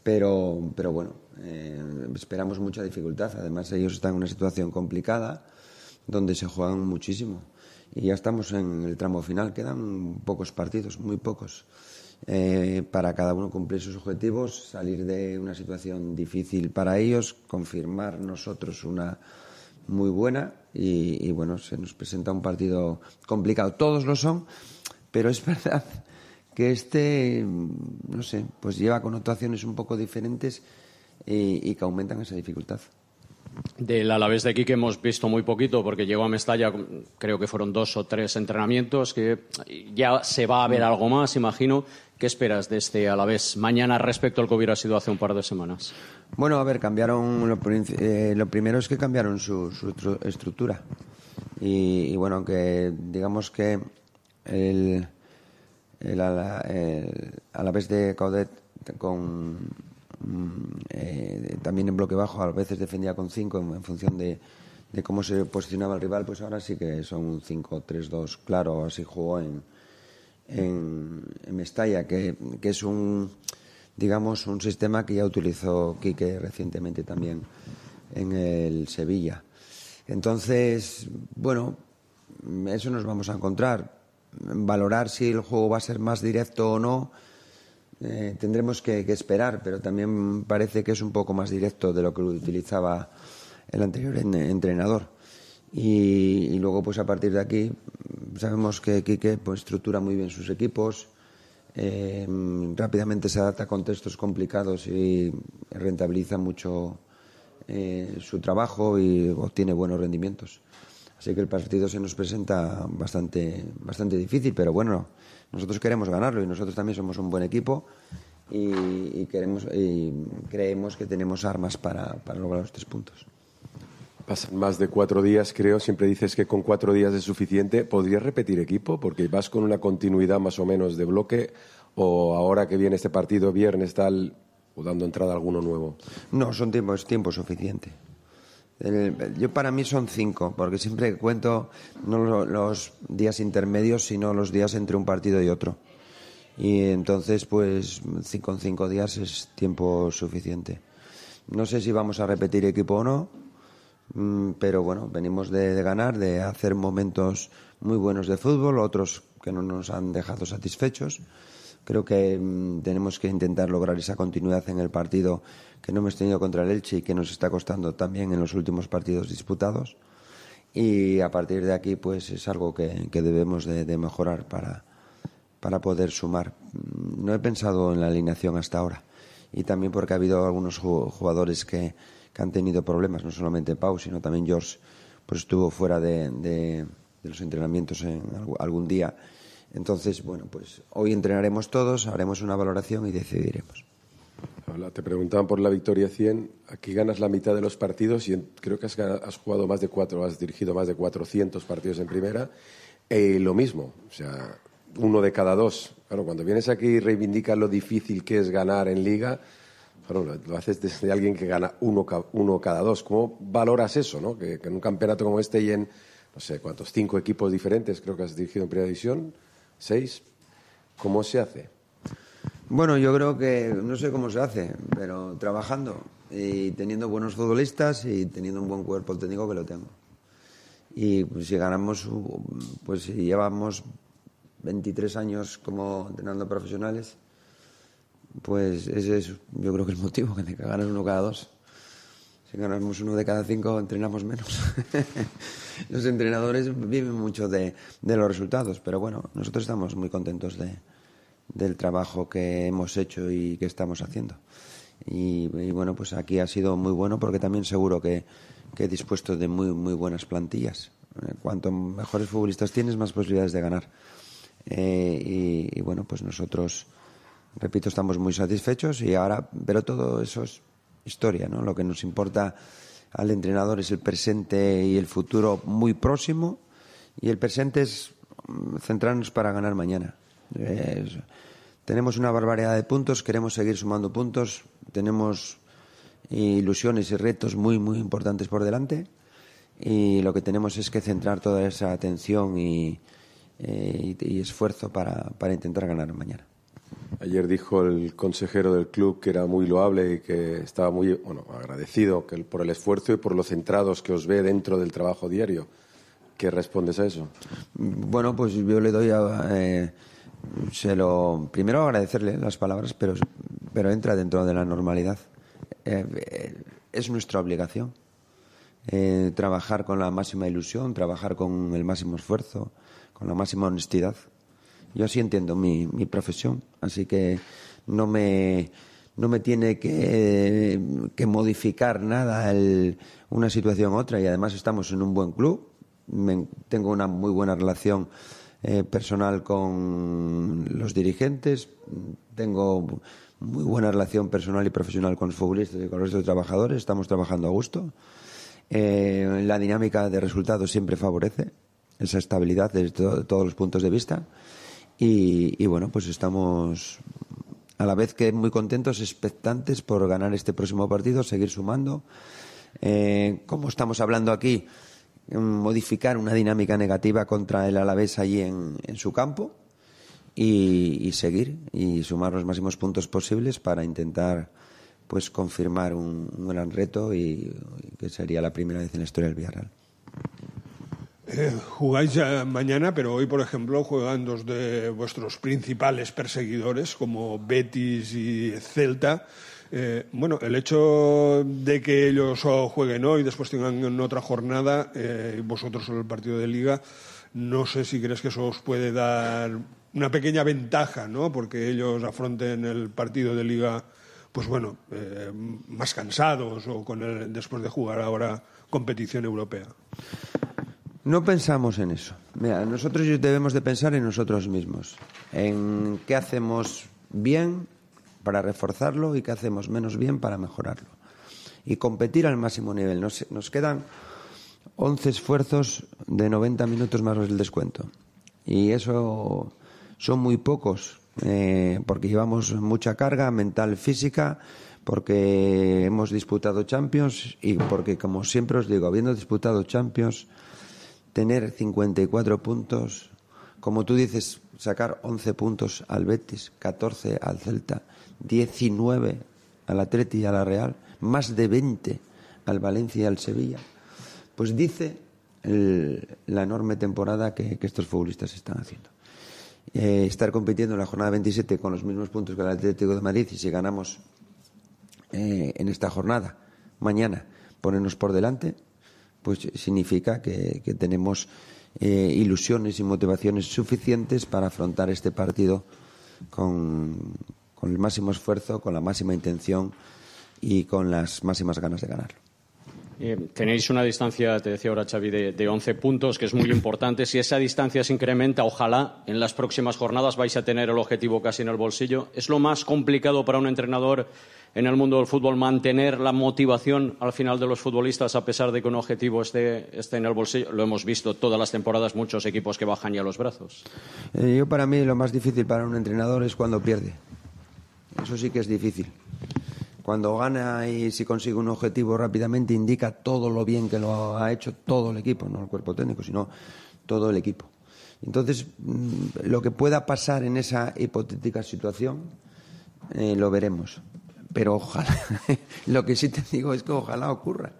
Pero, pero bueno, eh, esperamos mucha dificultad. Además ellos están en una situación complicada donde se juegan muchísimo. Y ya estamos en el tramo final. Quedan pocos partidos, muy pocos. Eh, para cada uno cumplir sus objetivos, salir de una situación difícil para ellos, confirmar nosotros una muy buena y, y bueno, se nos presenta un partido complicado. Todos lo son, pero es verdad que este, no sé, pues lleva connotaciones un poco diferentes y, y que aumentan esa dificultad. Del Alavés de Quique hemos visto muy poquito porque llegó a Mestalla, creo que fueron dos o tres entrenamientos, que ya se va a ver algo más, imagino. ¿Qué esperas de este Alavés mañana respecto al que hubiera sido hace un par de semanas? Bueno, a ver, cambiaron, lo, eh, lo primero es que cambiaron su, su estructura y, y bueno, aunque digamos que el, el, el Alavés de Caudet con... Eh, también en bloque bajo a veces defendía con cinco en, en función de, de cómo se posicionaba el rival, pues ahora sí que son un cinco tres dos claro. Así jugó en, en, en Mestalla, que, que es un, digamos, un sistema que ya utilizó Quique recientemente también en el Sevilla. Entonces, bueno, eso nos vamos a encontrar. Valorar si el juego va a ser más directo o no, Eh, tendremos que, que esperar, pero también parece que es un poco más directo de lo que utilizaba el anterior en, entrenador. Y, y luego, pues a partir de aquí, sabemos que Quique pues, estructura muy bien sus equipos, eh, rápidamente se adapta a contextos complicados y rentabiliza mucho eh, su trabajo y obtiene buenos rendimientos. Así que el partido se nos presenta bastante, bastante difícil, pero bueno, nosotros queremos ganarlo y nosotros también somos un buen equipo y, y, queremos, y creemos que tenemos armas para, para lograr los tres puntos. Pasan más de cuatro días, creo. Siempre dices que con cuatro días es suficiente. ¿Podrías repetir equipo? Porque vas con una continuidad más o menos de bloque, o ahora que viene este partido viernes tal, o dando entrada a alguno nuevo. No, son tiempos, tiempo suficiente. El, yo para mí son cinco, porque siempre cuento no los días intermedios, sino los días entre un partido y otro. Y entonces, pues, con cinco días es tiempo suficiente. No sé si vamos a repetir equipo o no, pero bueno, venimos de, de ganar, de hacer momentos muy buenos de fútbol, otros que no nos han dejado satisfechos. Creo que mmm, tenemos que intentar lograr esa continuidad en el partido que no hemos tenido contra el Elche y que nos está costando también en los últimos partidos disputados. Y a partir de aquí, pues es algo que, que debemos de, de mejorar para, para poder sumar. No he pensado en la alineación hasta ahora. Y también porque ha habido algunos jugadores que, que han tenido problemas, no solamente Pau, sino también George, pues estuvo fuera de, de, de los entrenamientos en algún día. Entonces, bueno, pues hoy entrenaremos todos, haremos una valoración y decidiremos. Hola, te preguntaban por la victoria cien. Aquí ganas la mitad de los partidos y creo que has, has jugado más de cuatro, has dirigido más de cuatrocientos partidos en primera. Eh, lo mismo, o sea, uno de cada dos. Claro, cuando vienes aquí y reivindicas lo difícil que es ganar en Liga, claro, lo, lo haces desde alguien que gana uno, uno cada dos. ¿Cómo valoras eso, no? Que, que en un campeonato como este y en, no sé, cuántos, cinco equipos diferentes, creo que has dirigido en Primera División, seis, ¿cómo se hace? Bueno, yo creo que no sé cómo se hace, pero trabajando y teniendo buenos futbolistas y teniendo un buen cuerpo técnico, que lo tengo. Y pues, si ganamos, pues si llevamos veintitrés años como entrenando profesionales, pues ese es, yo creo que el motivo, que ganas uno cada dos. Si ganamos uno de cada cinco, entrenamos menos. Los entrenadores viven mucho de, de los resultados, pero bueno, nosotros estamos muy contentos de, del trabajo que hemos hecho y que estamos haciendo. Y, y bueno, pues aquí ha sido muy bueno porque también seguro que, que he dispuesto de muy, muy buenas plantillas. Cuanto mejores futbolistas tienes, más posibilidades de ganar. Eh, y, y bueno, pues nosotros, repito, estamos muy satisfechos y ahora, pero todo eso es historia, ¿no? Lo que nos importa al entrenador es el presente y el futuro muy próximo, y el presente es centrarnos para ganar mañana. Eh, tenemos una barbaridad de puntos, queremos seguir sumando puntos, tenemos ilusiones y retos muy, muy importantes por delante y lo que tenemos es que centrar toda esa atención y, eh, y, y esfuerzo para, para intentar ganar mañana. Ayer dijo el consejero del club que era muy loable y que estaba muy bueno, agradecido que, por el esfuerzo y por lo centrados que os ve dentro del trabajo diario. ¿Qué respondes a eso? Bueno, pues yo le doy a... Eh, se lo primero agradecerle las palabras, pero, pero entra dentro de la normalidad. Eh, eh, es nuestra obligación eh, trabajar con la máxima ilusión, trabajar con el máximo esfuerzo, con la máxima honestidad. Yo así entiendo mi, mi profesión, así que no me, no me tiene que, que modificar nada el, una situación u otra, y además estamos en un buen club. Me, tengo una muy buena relación eh, personal con los dirigentes, tengo muy buena relación personal y profesional con los futbolistas y con los trabajadores, estamos trabajando a gusto. Eh, la dinámica de resultados siempre favorece esa estabilidad desde to- todos los puntos de vista. Y, y bueno, pues estamos a la vez que muy contentos, expectantes por ganar este próximo partido, seguir sumando. Eh, como estamos hablando aquí, modificar una dinámica negativa contra el Alavés allí en, en su campo y, y seguir y sumar los máximos puntos posibles para intentar pues confirmar un, un gran reto y, y que sería la primera vez en la historia del Villarreal. Eh, jugáis ya mañana, pero hoy, por ejemplo, juegan dos de vuestros principales perseguidores, como Betis y Celta. Eh, bueno, el hecho de que ellos jueguen hoy, después tengan otra jornada, eh, y vosotros solo el partido de Liga, no sé si crees que eso os puede dar una pequeña ventaja, ¿no? Porque ellos afronten el partido de Liga, pues bueno, eh, más cansados o con el, después de jugar ahora competición europea. No pensamos en eso. Mira, nosotros debemos de pensar en nosotros mismos, en qué hacemos bien para reforzarlo y qué hacemos menos bien para mejorarlo. Y competir al máximo nivel. Nos, nos quedan once esfuerzos de noventa minutos más el descuento. Y eso son muy pocos, eh, porque llevamos mucha carga mental, física, porque hemos disputado Champions y porque, como siempre os digo, habiendo disputado Champions, tener cincuenta y cuatro puntos, como tú dices, sacar once puntos al Betis, catorce al Celta, diecinueve al Atleti y a la Real, más de veinte al Valencia y al Sevilla, pues dice el, la enorme temporada que, que estos futbolistas están haciendo. Eh, estar compitiendo en la jornada veintisiete con los mismos puntos que el Atlético de Madrid, y si ganamos eh, en esta jornada, mañana, ponernos por delante, pues significa que, que tenemos eh, ilusiones y motivaciones suficientes para afrontar este partido con, con el máximo esfuerzo, con la máxima intención y con las máximas ganas de ganarlo. Eh, tenéis una distancia, te decía ahora Xavi, de, de once puntos, que es muy importante. Si esa distancia se incrementa, ojalá en las próximas jornadas vais a tener el objetivo casi en el bolsillo. ¿Es lo más complicado para un entrenador en el mundo del fútbol mantener la motivación al final de los futbolistas a pesar de que un objetivo esté, esté en el bolsillo? Lo hemos visto todas las temporadas, muchos equipos que bajan ya los brazos. Eh, yo para mí lo más difícil para un entrenador es cuando pierde. Eso sí que es difícil. Cuando gana y si consigue un objetivo rápidamente, indica todo lo bien que lo ha hecho todo el equipo, no el cuerpo técnico, sino todo el equipo. Entonces, lo que pueda pasar en esa hipotética situación, eh, lo veremos. Pero ojalá, lo que sí te digo es que ojalá ocurra,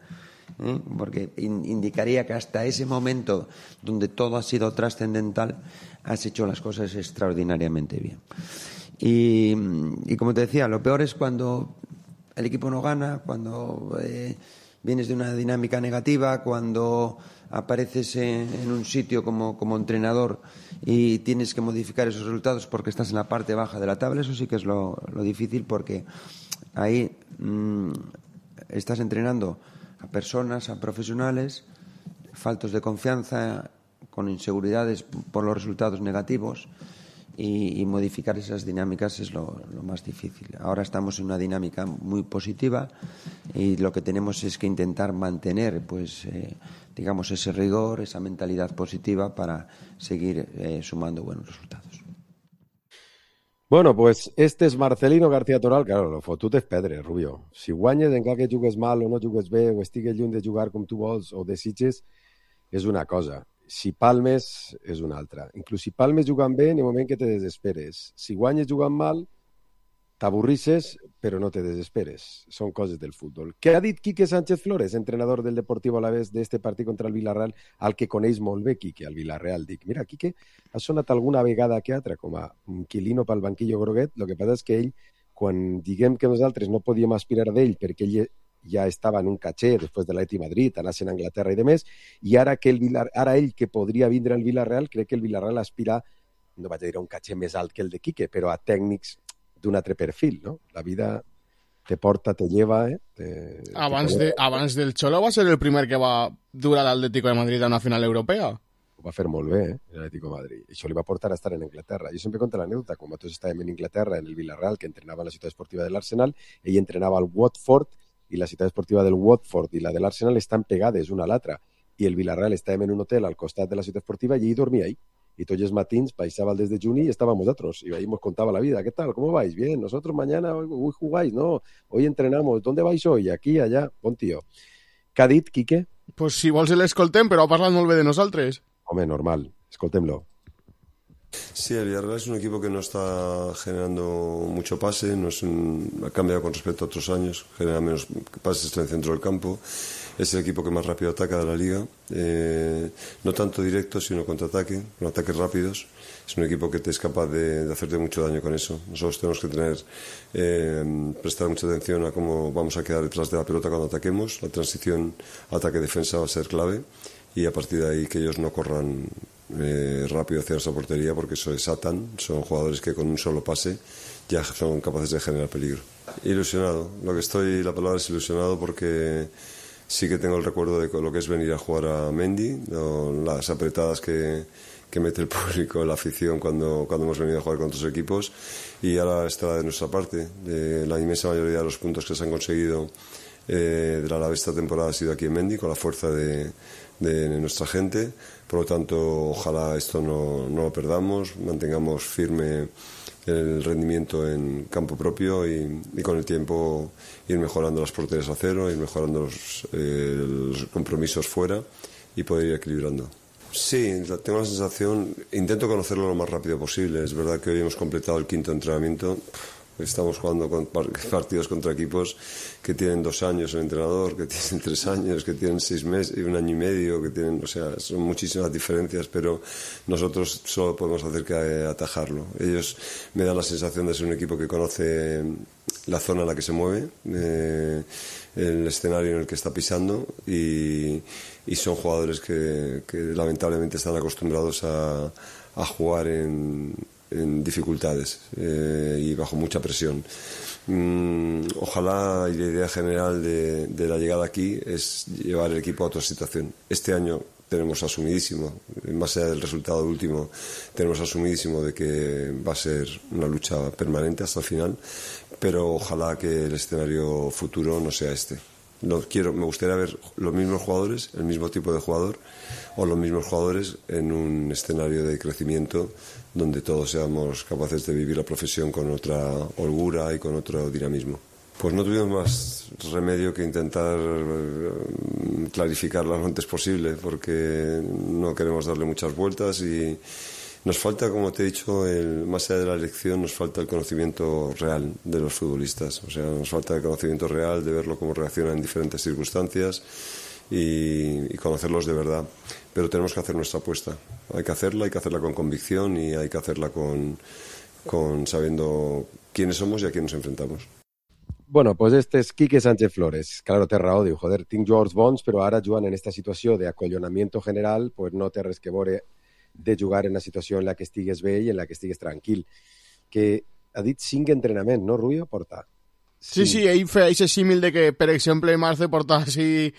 ¿eh? Porque in, indicaría que hasta ese momento, donde todo ha sido trascendental, has hecho las cosas extraordinariamente bien. Y, y como te decía, lo peor es cuando el equipo no gana, cuando eh, vienes de una dinámica negativa, cuando apareces en, en un sitio como, como entrenador y tienes que modificar esos resultados porque estás en la parte baja de la tabla. Eso sí que es lo, lo difícil, porque ahí mmm, estás entrenando a personas, a profesionales faltos de confianza, con inseguridades por los resultados negativos. Y, y modificar esas dinámicas es lo, lo más difícil. Ahora estamos en una dinámica muy positiva y lo que tenemos es que intentar mantener, pues, eh, digamos, ese rigor, esa mentalidad positiva para seguir eh, sumando buenos resultados. Bueno, pues este és Marcelino García Toral, claro, lo fotut és pedre, Rubio. Si guanyes encara que jugues mal o no jugues bé o estigues lluny de jugar com tu vols o desitges, és una cosa. Si palmes, és una altra. Inclús si palmes jugant bé, en el moment que te desesperes. Si guanyes jugant mal, t'avorrisses, però no te desesperes. Són coses del futbol. Què ha dit Quique Sánchez Flores, entrenador del Deportivo Alavés d'este partit contra el Villarreal, al que coneix molt bé Quique, al Villarreal? Dic, mira, Quique ha sonat alguna vegada que altra com a inquilino pel banquillo groguet. El que passa és que ell, quan diguem que nosaltres no podíem aspirar d'ell perquè ell ja estava en un caché després de l'Atleti Madrid, anant a Anglaterra i demés, i ara, que el Villar... ara ell que podria vindre al Villarreal, crec que el Villarreal aspira, no vaig a dir a un caché més alt que el de Quique, però a tècnics d'un altre perfil, no? La vida te porta, te lleva, eh? Te, abans, te de, abans del Cholo va ser el primer que va dur a l'Atlético de Madrid a una final europea. Ho va fer molt bé, eh? L'Atlético de Madrid. Això li va portar a estar en Anglaterra. Jo sempre conto l'anècdota, quan nosaltres estàvem en Inglaterra, en el Villarreal, que entrenava en la ciutat esportiva de l'Arsenal, ell entrenava al Watford, i la ciutat esportiva del Watford i la de l'Arsenal estan pegades una a l'altra. I el Villarreal estàvem en un hotel al costat de la ciutat esportiva i ell dormia ahí. Y todos los matins baixava el desde Juni y estábamos nosotros. Y ahí nos contaba la vida. ¿Qué tal? ¿Cómo vais? Bien. Nosotros mañana, hoy, hoy jugáis, ¿no? Hoy entrenamos. ¿Dónde vais hoy? Aquí, allá. Bon tío. Què ha dit, Quique? Pues si vols l'escoltem, però ha parlat molt bé de nosaltres. Home, normal. Escoltem-lo. Sí, el Villarreal es un equipo que no está generando mucho pase, no es un, ha cambiado con respecto a otros años, genera menos pases en el centro del campo, es el equipo que más rápido ataca de la liga, eh, no tanto directo sino contraataque, con ataques rápidos. Es un equipo que te es capaz de, de hacerte mucho daño con eso. Nosotros tenemos que tener, eh, prestar mucha atención a cómo vamos a quedar detrás de la pelota cuando ataquemos. La transición ataque-defensa va a ser clave y a partir de ahí que ellos no corran eh, rápido hacia esa portería porque se desatan. Son jugadores que con un solo pase ya son capaces de generar peligro. Ilusionado. Lo que estoy, la palabra es ilusionado porque sí que tengo el recuerdo de lo que es venir a jugar a Mendy, ¿no? Las apretadas que, que mete el público, la afición cuando, cuando hemos venido a jugar con otros equipos, y ahora está de nuestra parte. De la inmensa mayoría de los puntos que se han conseguido eh, de la Alavés esta temporada ha sido aquí en Mendy, con la fuerza de, de nuestra gente. Por lo tanto, ojalá esto no, no lo perdamos, mantengamos firme el rendimiento en campo propio y, y con el tiempo ir mejorando las porterías a cero, ir mejorando los, eh, los compromisos fuera y poder ir equilibrando. Sí, tengo la sensación, intento conocerlo lo más rápido posible. Es verdad que hoy hemos completado el quinto entrenamiento. Estamos jugando con partidos contra equipos que tienen dos años el entrenador, que tienen tres años, que tienen seis meses y un año y medio, que tienen, o sea, son muchísimas diferencias, pero nosotros solo podemos hacer que atajarlo. Ellos me dan la sensación de ser un equipo que conoce la zona en la que se mueve, eh, el escenario en el que está pisando y, y son jugadores que, que lamentablemente están acostumbrados a, a jugar en en dificultades eh, y bajo mucha presión. Mm, ojalá, y la idea general de, de la llegada aquí es llevar el equipo a otra situación. Este año tenemos asumidísimo, en base al resultado último, tenemos asumidísimo de que va a ser una lucha permanente hasta el final, pero ojalá que el escenario futuro no sea este. No quiero, me gustaría ver los mismos jugadores, el mismo tipo de jugador, o los mismos jugadores en un escenario de crecimiento donde todos seamos capaces de vivir la profesión con otra holgura y con otro dinamismo. Pues no tuvimos más remedio que intentar clarificarlo lo antes posible, porque no queremos darle muchas vueltas y nos falta, como te he dicho, el, más allá de la elección, nos falta el conocimiento real de los futbolistas. O sea, nos falta el conocimiento real de verlo cómo reacciona en diferentes circunstancias y, y conocerlos de verdad. Pero tenemos que hacer nuestra apuesta. Hay que hacerla, hay que hacerla con convicción y hay que hacerla con, con sabiendo quiénes somos y a quién nos enfrentamos. Bueno, pues este és Quique Sánchez Flores. Claro, té raó, diu, joder, tinc jugadors bons, però ara jugant en esta situació d'acollonamiento general, pues no té res que veure de jugar en una situació en la que estigues bé i en la que estigues tranquil. Que ha dit cinc entrenaments, no, Rubio? Porta. Sí, sí, ell feia aquest símil de que, per exemple, Marce porta així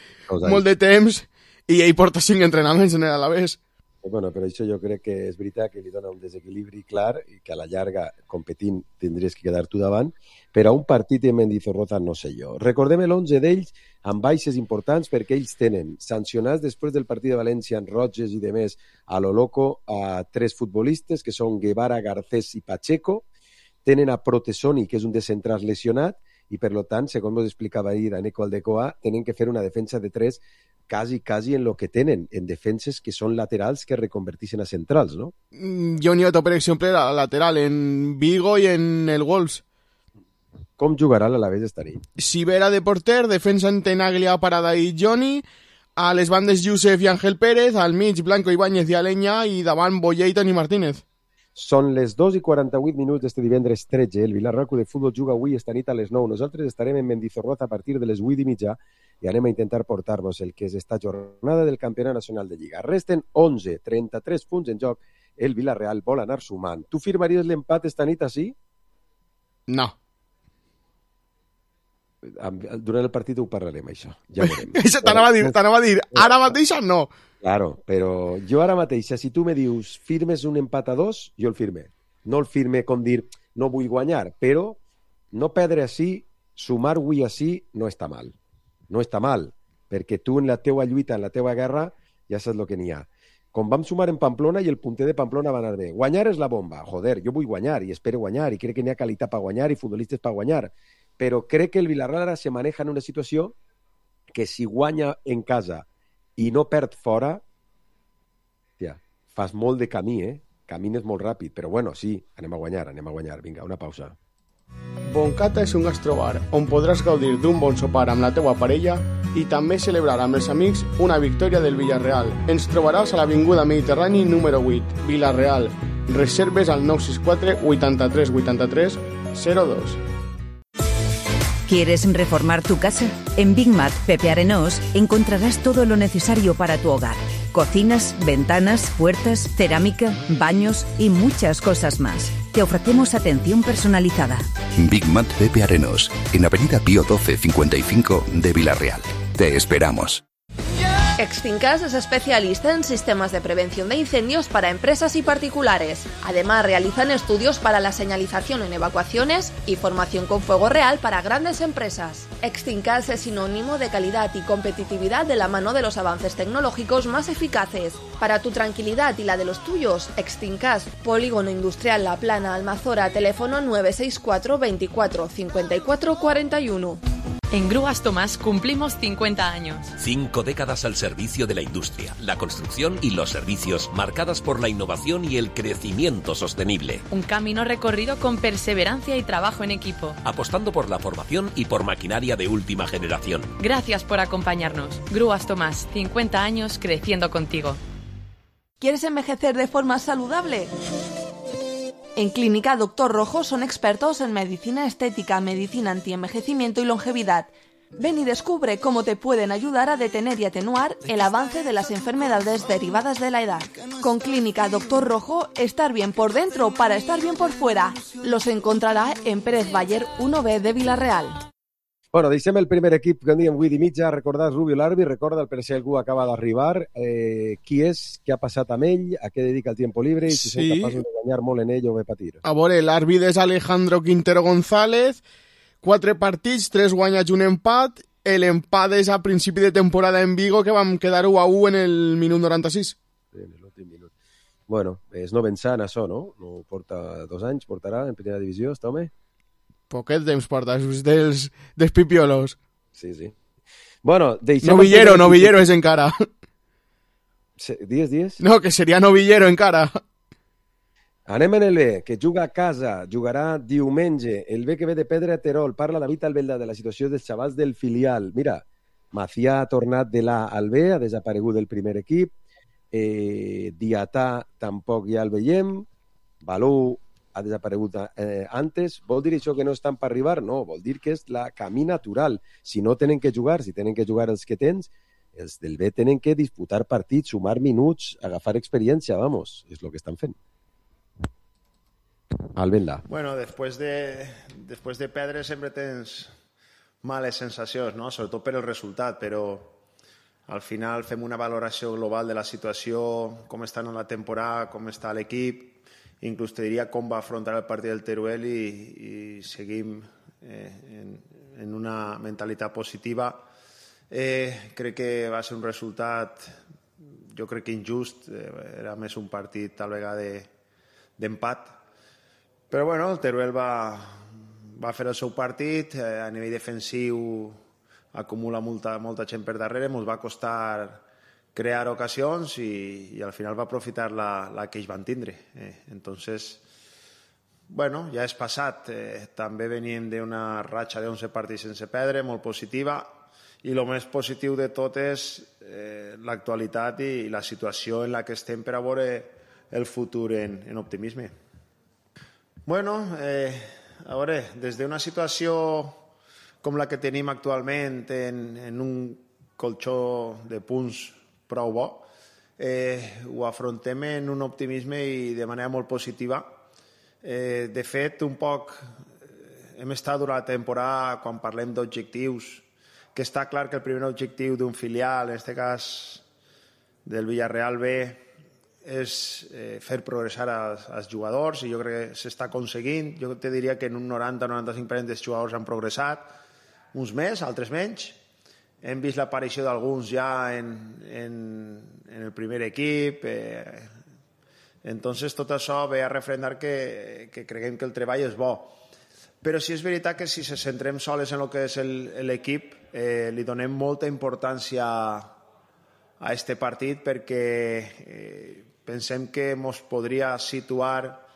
molt de temps i ell porta cinc entrenaments en l'Alavés. Bueno, però això jo crec que és veritat que li dona un desequilibri clar i que a la llarga, competint, tindries que quedar tu davant, però a un partit de Mendizorroza no sé jo. Recordem l'onze d'ells amb baixes importants perquè ells tenen sancionats després del partit de València en roges i demés a lo loco a tres futbolistes que són Guevara, Garcés i Pacheco. tenen a Protesoni, que és un de centrals lesionat, i per tant, segons ens explicava ahir Aneco Aldecoa, tenen que fer una defensa de tres quasi, quasi en lo que tenen, en defenses que són laterals que reconverteixen a centrals, no? Jo Nieto, per exemple, era lateral en Vigo i en el Wolves. Com jugarà l'Alavés esta nit? Sivera de porter, defensa en Tenaglia, Parada i Johnny, a les bandes Josep i Ángel Pérez, al mig Blanco Ibáñez i Aleña, i davant Boyer i Toni Martínez. Són les dos i quaranta-vuit minuts d'este divendres tretze. El Vilarreal Club de Futbol juga avui esta nit a les nou. Nosaltres estarem en Mendizorroza a partir de les vuit i mitja i anem a intentar portar-vos el que és esta jornada del Campionat Nacional de Lliga. Resten onze, trenta-tres punts en joc. El Vilarreal vol anar sumant. Tu firmaries l'empat esta nit així? No. Durant el partit ho parlarem, això. Ja veurem. T'anava a dir, t'anava a dir, ara mateix no. Claro, però jo ara mateix, si tu me dius firmes un empat a dos, jo el firme. No el firme com dir, no vull guanyar, però no perdre així, sumar avui així, no està mal. No està mal, perquè tu en la teua lluita, en la teua guerra, ja saps el que n'hi ha. Com vam sumar en Pamplona i el punter de Pamplona va anar bé. Guanyar és la bomba. Joder, jo vull guanyar i espero guanyar i crec que n'hi ha qualitat per guanyar i futbolistes per guanyar. Però crec que el Vilarreal ara se maneja en una situació que si guanya en casa i no perd fora, tia, fas molt de camí, eh? Camines molt ràpid, però bueno, sí, anem a guanyar, anem a guanyar. Vinga, una pausa. Boncata és un gastrobar on podràs gaudir d'un bon sopar amb la teua parella i també celebrar amb els amics una victòria del Villarreal. Ens trobaràs a l'Avinguda Mediterrani número vuit, Villarreal. Reserves al nou sis quatre, vuitanta-tres, vuitanta-tres, zero dos. ¿Quieres reformar tu casa? En Big Mat Pepe Arenós encontrarás todo lo necesario para tu hogar. Cocinas, ventanas, puertas, cerámica, baños y muchas cosas más. Te ofrecemos atención personalizada. Big Mat Pepe Arenós, en Avenida Pío doce cincuenta y cinco de Villarreal. Te esperamos. Extincas es especialista en sistemas de prevención de incendios para empresas y particulares. Además, realizan estudios para la señalización en evacuaciones y formación con fuego real para grandes empresas. Extincas es sinónimo de calidad y competitividad de la mano de los avances tecnológicos más eficaces. Para tu tranquilidad y la de los tuyos, Extincas, Polígono Industrial La Plana, Almazora, teléfono nueve seis cuatro, veinticuatro, cincuenta y cuatro, cuarenta y uno. En Grúas Tomás cumplimos cincuenta años. Cinco décadas al servicio de la industria, la construcción y los servicios, marcadas por la innovación y el crecimiento sostenible. Un camino recorrido con perseverancia y trabajo en equipo. Apostando por la formación y por maquinaria de última generación. Gracias por acompañarnos. Grúas Tomás, cincuenta años creciendo contigo. ¿Quieres envejecer de forma saludable? En Clínica Doctor Rojo son expertos en medicina estética, medicina antienvejecimiento y longevidad. Ven y descubre cómo te pueden ayudar a detener y atenuar el avance de las enfermedades derivadas de la edad. Con Clínica Doctor Rojo, estar bien por dentro para estar bien por fuera. Los encontrará en Pérez Baller uno B de Villarreal. Bueno, deixem el primer equip que en diem vuit i mitja. Recordar Rubio l'àrbitre, recorda per si algú acaba d'arribar. Eh, qui és, què ha passat amb ell, a què dedica el tiempo libre i si sí. Són capaços de guanyar molt en ell o bé patir. A veure, l'àrbitre és Alejandro Quintero González, quatre partits, tres guanyats i un empat. L'empat és a principi de temporada en Vigo, que vam quedar u a u en el minut noranta-sis. Sí, en l'últim minut. Bueno, és no pensant això, no? No porta dos anys, portarà en primera divisió, està home? Poquet temps porta, és dels, dels pipiolos. Sí, sí. Bueno, deixem... Novillero, novillero és encara. Dies, dies? No, que seria novillero encara. Anem en el B, que juga a casa, jugarà diumenge. El B que ve de Pedra Terol. Parla David Albelda de la situació dels xavals del filial. Mira, Macià ha tornat de l'A al B, ha desaparegut del primer equip. Eh, Diatà tampoc ja el veiem. Balú ha desaparegut eh, antes. Vol dir això que no estan per arribar? No, vol dir que és la camí natural. Si no tenen que jugar, si tenen que jugar els que tens, els del B tenen que disputar partits, sumar minuts, agafar experiència, vamos, és el que estan fent. Albelda. Bueno, después de, después de perdre sempre tens males sensacions, no? Sobretot per el resultat, però al final fem una valoració global de la situació, com està en la temporada, com està l'equip, inclús te diria com va afrontar el partit del Teruel i, i seguim eh, en, en una mentalitat positiva. Eh, crec que va ser un resultat, jo crec que injust, eh, era més un partit tal vegada d'empat, Però bueno, el Teruel va, va fer el seu partit, eh, a nivell defensiu acumula molta, molta gent per darrere, ens va costar crear ocasions i, i al final va aprofitar la, la que ells van tindre. Eh, entonces, bueno, ja és passat. Eh, també veníem d'una ratxa d'onze partits sense perdre, molt positiva, i el més positiu de tot és eh, l'actualitat i, i la situació en la que estem per a veure el futur en, en optimisme. Bueno, eh, a veure, des d'una situació com la que tenim actualment en, en un colxó de punts prou bo, eh, ho afrontem en un optimisme i de manera molt positiva. Eh, de fet, un poc hem estat durant la temporada, quan parlem d'objectius, que està clar que el primer objectiu d'un filial, en aquest cas del Villarreal B, és eh, fer progressar als, als jugadors, i jo crec que s'està aconseguint. Jo te diria que en un noranta a noranta-cinc per cent dels jugadors han progressat, uns més, altres menys. Hem vist l'aparició d'alguns ja en, en, en el primer equip. Eh, entonces tot això ve a refrendar que, que creguem que el treball és bo. Però sí és veritat que si se centrem soles en el que és l'equip, eh, li donem molta importància a este partit perquè eh, pensem que ens podria situar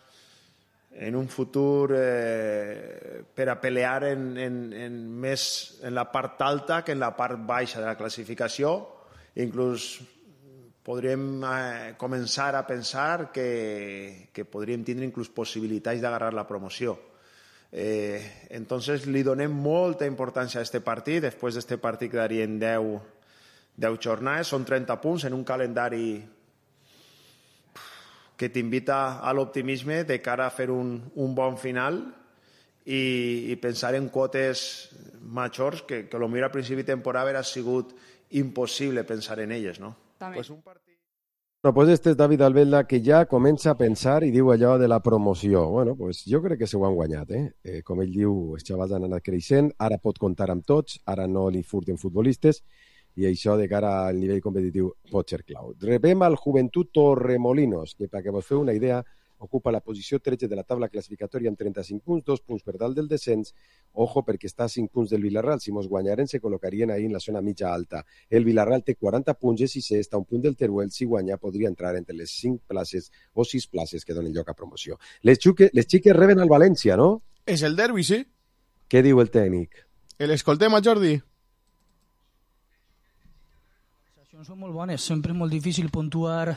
en un futur eh, per a pelear en, en, en més en la part alta que en la part baixa de la classificació. Inclús podríem eh, començar a pensar que, que podríem tindre inclús possibilitats d'agarrar la promoció. Eh, entonces li donem molta importància a aquest partit. Després d'aquest partit quedarien deu, deu jornades, són trenta punts en un calendari que t'invita a l'optimisme de cara a fer un, un bon final i, i pensar en quotes majors que, que potser a principi de temporada hauria sigut impossible pensar en elles, no? Pues un partit... Bueno, pues este és David Albelda, que ja comença a pensar i diu allò de la promoció. Bueno, pues jo crec que s'ho han guanyat, eh? eh? Com ell diu, els xavals han anat creixent, ara pot comptar amb tots, ara no li furten futbolistes, i això de cara al nivell competitiu pot ser clau. Rebem al Joventut Torremolinos, que perquè vos feu una idea, ocupa la posició tretze de la taula classificatòria amb trenta-cinc punts, dos punts per dalt del descens. Ojo, perquè està a cinc punts del Villarreal. Si mos guanyaren, se col·locarien ahí en la zona mitja alta. El Villarreal té quaranta punts, és sisè, està a un punt del Teruel. Si guanya, podria entrar entre les cinc places o sis places que donen lloc a promoció. Les, xuque, les xiques reben al València, no? És el derbi, sí. Què diu el tècnic? L'escoltem a Jordi. Són molt bones, sempre és molt difícil puntuar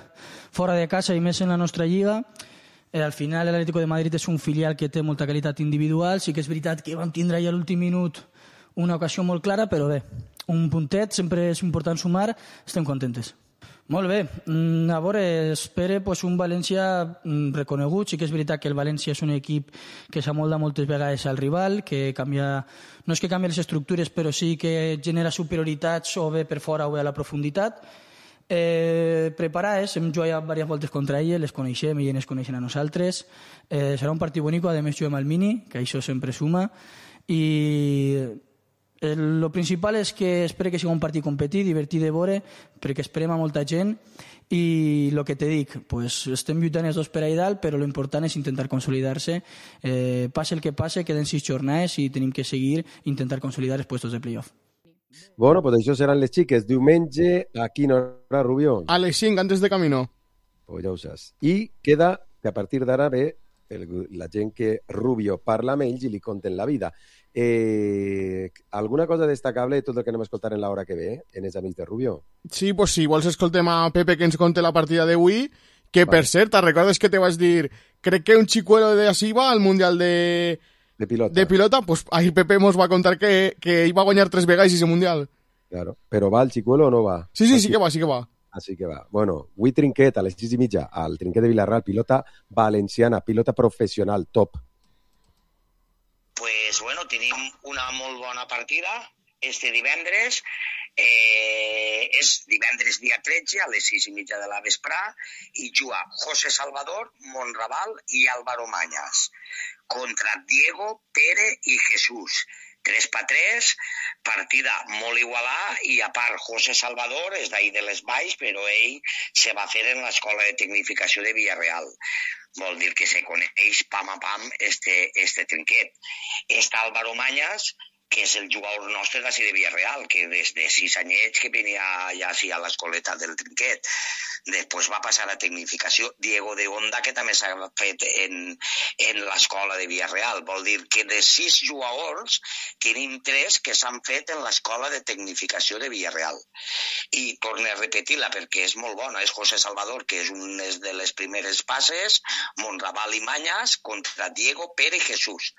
fora de casa i més en la nostra lliga. Eh, al final l'Atlético de Madrid és un filial que té molta qualitat individual, sí que és veritat que vam tindre ja a l'últim minut una ocasió molt clara, però bé, un puntet, sempre és important sumar, estem contentes. Molt bé, a veure, espere pues, un València reconegut, sí que és veritat que el València és un equip que s'amolda moltes vegades al rival, que canvia, no és que canvia les estructures, però sí que genera superioritats o bé per fora o bé a la profunditat. Eh, preparades, hem jugat diverses voltes contra elles, les coneixem i elles coneixen a nosaltres. Eh, serà un partit bonic, a més juguem al mini, que això sempre suma, i el principal és que espero que sigui un partit competit, divertit de veure, perquè esperem a molta gent, i el que te dic, pues, estem lluitant els dos per ahí dalt, però l'important és intentar consolidar-se. Eh, passe el que passe, queden sis jornades i tenim que seguir intentar consolidar els puestos de playoff. Bueno, pues això seran les xiques. Diumenge, a quina hora, Rubió? A les cinc, antes de camino. Pues ja ho saps. I queda que a partir d'ara ve el, la gent que Rubio parla amb ells i li conten la vida. Eh, alguna cosa destacable de tot el que anem a escoltar en l'hora que ve, eh? En els amics de Rubio? Sí, pues si vols escoltem a Pepe que ens conte la partida d'avui, que vale. Per cert, te'n recordes que te vas dir crec que un chicuelo de así va al Mundial de... De pilota. De pilota, pues ahí Pepe nos va a contar que, que iba a guanyar tres vegades ese mundial. Claro, pero ¿va el chicuelo o no va? Sí, sí, Así... sí que va, sí que va. Así que va. Bueno, avui trinquet a les sis i mitja al trinquet de Vilarreal, pilota valenciana, pilota professional, top. Pues bueno, tenim una molt bona partida este divendres. Eh, és divendres dia tretze a les sis i mitja de la vesprà i juga José Salvador, Monraval i Álvaro Mañas contra Diego, Pere i Jesús. tres per tres, partida molt igualada i a part José Salvador és d'ahir de les Valls, però ell se va fer en l'escola de tecnificació de Villarreal. vol dir que se coneix pam a pam este, este trinquet. Està Álvaro Mañas, que és el jugador nostre d'ací de Villarreal, que des de sis anyets que venia ja així a l'escoleta del trinquet. Després va passar a tecnificació Diego de Onda, que també s'ha fet en, en l'escola de Villarreal. Vol dir que de sis jugadors tenim tres que s'han fet en l'escola de tecnificació de Villarreal. I torno a repetir-la perquè és molt bona. És José Salvador, que és una de les primeres passes, Monraval i Mañas contra Diego, Pere i Jesús.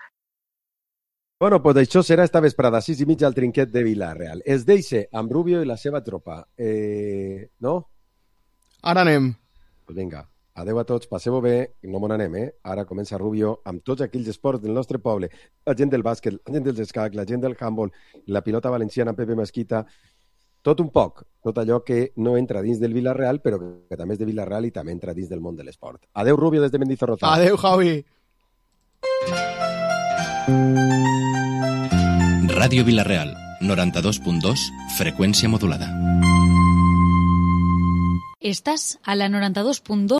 Bueno, pues això serà esta vesprada, sis i mitja al trinquet de Villarreal. Es deixa amb Rubio i la seva tropa. Eh, no? Ara anem. Pues vinga, adeu a tots, passeu-ho bé, no m'on anem, eh? Ara comença Rubio amb tots aquells esports del nostre poble. La gent del bàsquet, la gent dels escacs, la gent del handball, la pilota valenciana, Pepe Mesquita, tot un poc, tot allò que no entra dins del Villarreal, però que també és de Villarreal i també entra dins del món de l'esport. Adeu, Rubio, des de Mendizorroza. Adeu, Javi. Ràdio Vilareal, noranta-dos punt dos, freqüència modulada. Estàs a la noranta-dos punt dos